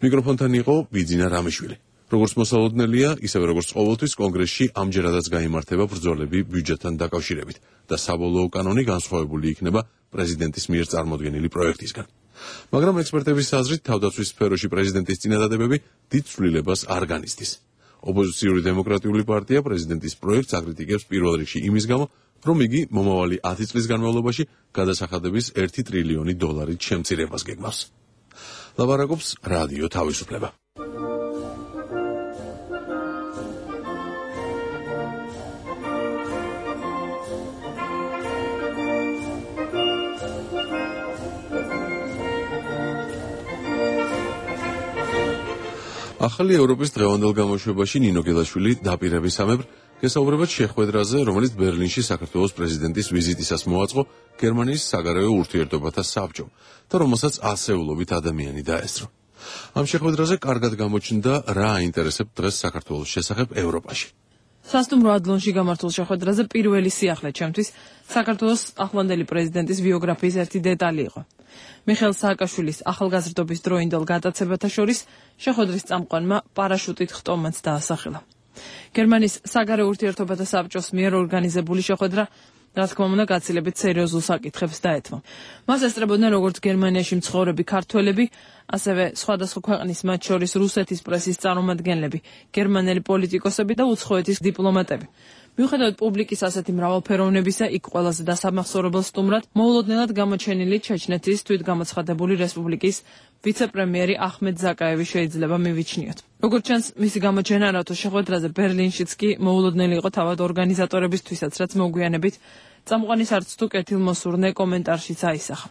მიკროფონთან იყო ბიძინა რამიშვილი. როგორც მოსალოდნელია, ისევე როგორც ყოველთვის კონგრესში ამჯერადაც გაიმართება ბრძოლები ბიუჯეტთან დაკავშირებით და საბოლოო კანონი განსხვავებული იქნება პრეზიდენტის მიერ წარმოდგენილი პროექტისგან. მაგრამ ექსპერტების აზრით, თავდაცვის სფეროში პრეზიდენტის წინადადებები დიდ ცვლილებას არ განიცდის. ოპოზიციური დემოკრატიული პარტია პრეზიდენტის პროექტს აკრიტიკებს პირველ რიგში იმის გამო, რომ იგი მომავალი ათი წლის განმავლობაში გადასახადების ერთი ტრილიონი დოლარით შემცირებას გეგმავს. ლაპარაკობს რადიო თავისუფლება. ახალი ევროპის დღევანდელ გამოშვებაში ნინო გელაშვილი დაპირებისამებრ გესაუბრება შეხვედრაზე, რომელიც ბერლინში საქართველოს პრეზიდენტის ვიზიტისას მოაწყო გერმანიის საგარეო ურთიერთობათა საბჭომ და რომელსაც ასეულობით ადამიანი დაესწრო. ამ შეხვედრაზე კარგად გამოჩნდა რა აინტერესებს დღეს საქართველოს შესახებ ევროპაში. სასტუმრო ადლონში გამართულ შეხვედრაზე პირველი სიახლე ჩემთვის საქართველოს ახლანდელი პრეზიდენტის ბიოგრაფიის ერთი დეტალი იყო. მიხეილ სააკაშვილის ახალგაზრდობის დროინდელ გატაცებათა შორის შეხვედრის წამყვანმა პარაშუტით ხტომაც დაასახელა. გერმანიის საგარეო ურთიერთობათა საბჭოს მიერ ორგანიზებული შეხვედრა რა თქმა უნდა გაცილებით სერიოზულ საკითხებს დაეთმო. მას ესწრებოდნენ როგორც გერმანიაში მცხოვრები ქართველები, ასევე სხვადასხვა ქვეყნის, მათ შორის რუსეთის პრესის წარმომადგენლები, გერმანელი პოლიტიკოსები და უცხოეთის დიპლომატები. მიუხედავად პუბლიკის ასეთი მრავალფეროვნებისა, იქ ყველაზე დასამახსოვრებელ სტუმრად მოულოდნელად გამოჩენილი ჩეჩნეთის თვითგამოცხადებული რესპუბლიკის ვიცე-პრემიერი ახმედ ზაკაევი შეიძლება მივიჩნიოთ. როგორც ჩანს, მისი გამოჩენა რატო შეხვედრაზე ბერლინშიც კი მოულოდნელი იყო თავად ორგანიზატორებისთვისაც, რაც მოგვიანებით წამყვანის არც თუ კეთილმოსურნე კომენტარშიც აისახა.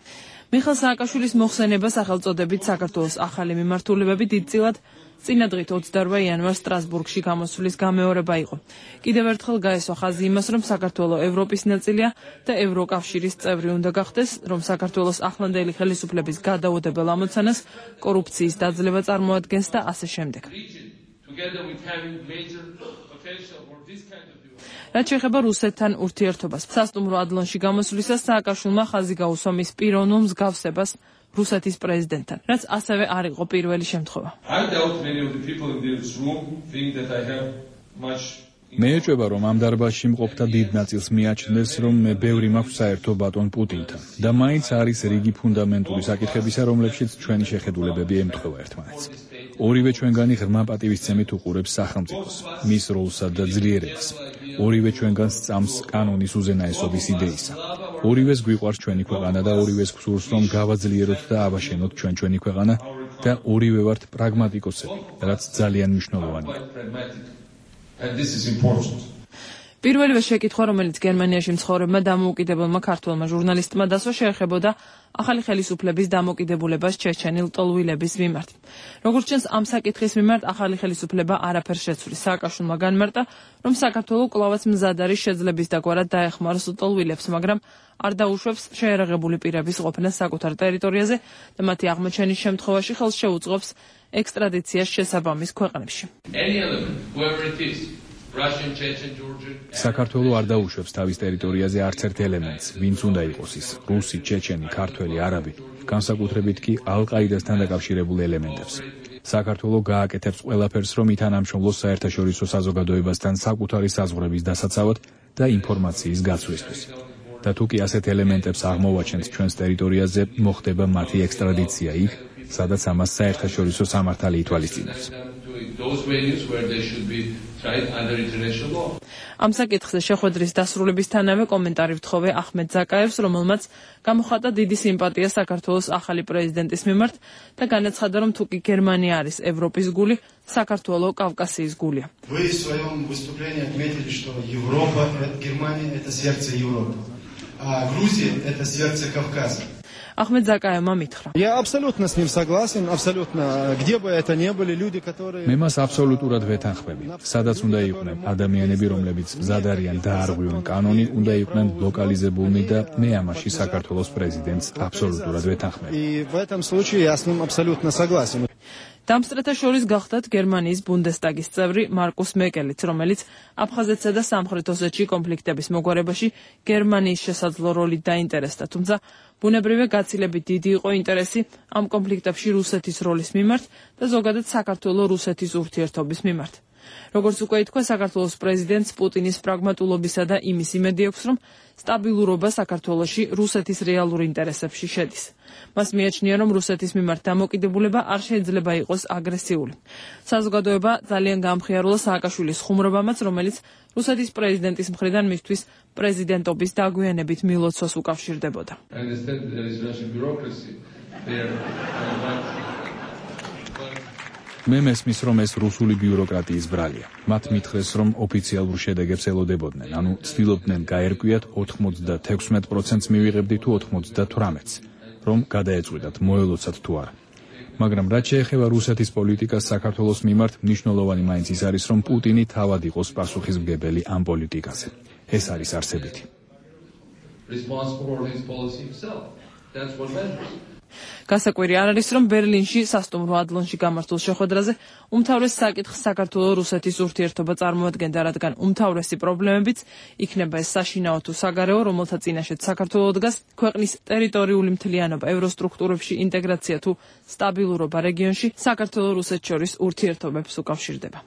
მიხეილ სააკაშვილის მოხსენება სახელწოდებით საქართველოს ახალი მიმართულებები დიდწილად წინადღით ოცდაორ იანვარს სტრასბურგში გამოსვლის გამეორება იყო. კიდევ ერთხელ გაესვა ხაზი იმას, რომ საქართველოს ევროპის ნაწილია და ევროკავშირის წევრი უნდა გახდეს, რომ საქართველოს ახლანდელი ხელისუფლების გადაუდებელ ამოცანას კორუფციის დაძლევა წარმოადგენს და ასე შემდეგ. რაც შეეხება რუსეთთან ურთიერთობას, სასტუმრო ადლონში გამოსვლისას სააკაშვილმა ხაზი გაუსვა მის პიროვნულ მსგავსებას რუსეთის პრეზიდენტთან, რაც ასევე არ იყო პირველი შემთხვევა. მე ეჭვება, რომ ამ დარბაზში მყოფთა დიდ ნაწილს მიაჩნდეს, რომ მე ბევრი მაქვს საერთო ბატონ პუტინთან და მაინც არის რიგი ფუნდამენტური საკითხებისა, რომლებშიც ჩვენი შეხედულებები ემთხვევა ერთმანეთს. ორივე ჩვენგანი ღრმა პატივისცემით უყურებს სახელმწიფოს, მის როლსა და ძლიერებას. ორივე ჩვენგანს წამს კანონის უზენაესობის იდეისა. ორივეს გვიყვარს ჩვენი ქვეყანა და ორივეს გსურს, რომ გავაძლიეროთ და ავაშენოთ ჩვენ ჩვენი ქვეყანა და ორივე ვართ პრაგმატიკოსები, რაც ძალიან მნიშვნელოვანია. პირველივე შეკითხვა, რომელიც გერმანიაში მცხოვრებმა დამოუკიდებელმა ქართველმა ჟურნალისტმა დასვა, შეეხებოდა ახალი ხელისუფლების დამოკიდებულებას ჩეჩენილ ლტოლვილების მიმართ. როგორც ჩანს, ამ საკითხის მიმართ ახალი ხელისუფლება არაფერს შეცვლის. სააკაშვილმა განმარტა, რომ საქართველოს კვლავაც მზად არის შეძლების დაგვარად დაეხმაროს ლტოლვილებს, მაგრამ არ დაუშვებს შეერაღებული პირების ყოფნას საკუთარ ტერიტორიაზე და მათი აღმოჩენის შემთხვევაში ხელს შეუწყობს ექსტრადიციას შესაბამის ქვეყნებში. საქართველოს არ დაუშვებს თავის ტერიტორიაზე არც ერთ ელემენტს, ვინც უნდა იყოს ის, რუსი, ჩეჩენი, ქართველი, არაბი, განსაკუთრებით კი ალ-ყაიდასთან დაკავშირებულ ელემენტებს. საქართველოს გააკეთებს ყველაფერს, რომ ითანამშრომლოს საერთაშორისო საზოგადოებასთან საკუთარი საზღვრების დასაცავად და ინფორმაციის გაცვლისთვის. და თუ კი ასეთ ელემენტებს აღმოვაჩენთ ჩვენს ტერიტორიაზე, მოხდება მათი ექსტრადიცია იქ, სადაც ამას საერთაშორისო სამართალი ითვალისწინებს. ამ საკითხზე შეხვედრის დასრულებისთანავე კომენტარი ვთხოვე ახმედ ზაკაევს, რომელმაც გამოხატა დიდი სიმპათია საქართველოს ახალი პრეზიდენტის მიმართ და განაცხადა, რომ თუ კი გერმანია არის ევროპის გული, საქართველოს კავკასიის გულია. Вы в своем выступлении отметили, что Европа, Германия это сердце Европы, а Грузия это сердце Кавказа. Ахмед Закаевმა მითხრა. Я абсолютно с ним согласен, абсолютно. Где бы это ни были люди, которые მე მას აბსოლუტურად ვეთანხმები. სადაც უნდა იყვნენ ადამიანები, რომლებიც მზად არიან დაარღვიონ კანონი, უნდა იყვნენ ლოკალიზებულნი და მე ამაში საქართველოს პრეზიდენტს აბსოლუტურად ვეთანხმები. И в этом случае я с ним абсолютно согласен. დამსწრეთა შორის გახდათ გერმანიის ბუნდესტაგის წევრი მარკუს მეკელიც, რომელიც აფხაზეთსა და სამხრეთ ოსეთში კონფლიქტების მოგვარებაში გერმანიის შესაძლო როლით დაინტერესდა, თუმცა ბუნებრივია გაცილებით დიდი იყო ინტერესი ამ კონფლიქტებში რუსეთის როლის მიმართ და ზოგადად საქართველოს რუსეთის ურთიერთობის მიმართ. როგორც უკვე ითქვა, საქართველოს პრეზიდენტს პუტინის პრაგმატულობისა და იმის იმედი აქვს, რომ სტაბილურობა საქართველოში რუსეთის რეალურ ინტერესებში შედის. მას მიაჩნია, რომ რუსეთის მიმართ დამოკიდებულება არ შეიძლება იყოს აგრესიული. საზოგადოება ძალიან გაამხიარულა სააკაშვილის ხუმრობამაც, რომელიც რუსეთის პრეზიდენტის მხრიდან მისთვის პრეზიდენტობის დაგვიანებით მილოცვას უკავშირდებოდა. მე მესმის, რომ ეს რუსული ბიუროკრატიის ბრალია. მათ მითხრეს, რომ ოფიციალურ შედეგებს ელოდებოდნენ, ანუ ცდილობდნენ გაერკვიათ ოთხმოცდათექვსმეტ პროცენტს მივიღებდი თუ ოთხმოცდათვრამეტს, რომ გადაეწყვიტათ, მოელოცათ თუ არა. მაგრამ რაც შეეხება რუსეთის პოლიტიკას საქართველოს მიმართ, მნიშვნელოვანი მაინც ის არის, რომ პუტინი თავად იყოს პასუხისმგებელი ამ პოლიტიკაზე. ეს არის არსებითი. გასაკვირი არ არის, რომ ბერლინში სასტუმრო ადლონში გამართულ შეხვედრაზე უმთავრეს საკითხს საქართველო-რუსეთის ურთიერთობა წარმოადგენდა, რადგან უმთავრესი პრობლემებიც იქნება ეს საშინაო თუ საგარეო, რომელთა წინაშეც საქართველო დგას, ქვეყნის ტერიტორიული მთლიანობა, ევროსტრუქტურებში ინტეგრაცია თუ სტაბილურობა რეგიონში საქართველო-რუსეთს შორის ურთიერთობებს უკავშირდება.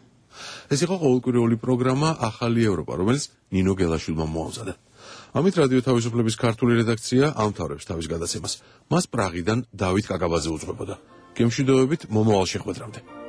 ეს იყო ყოველკვირეული პროგრამა ახალი ევროპა, რომელიც ნინო გელაშვილმა მოამზადა. ამით რადიო თავისუფლების ქართული რედაქცია ამთავრებს თავის გადაცემას. მას პრაღიდან დავით კაკაბაძე უძღვებოდა. გემშვიდობებით მომავალ შეხვედრამდე.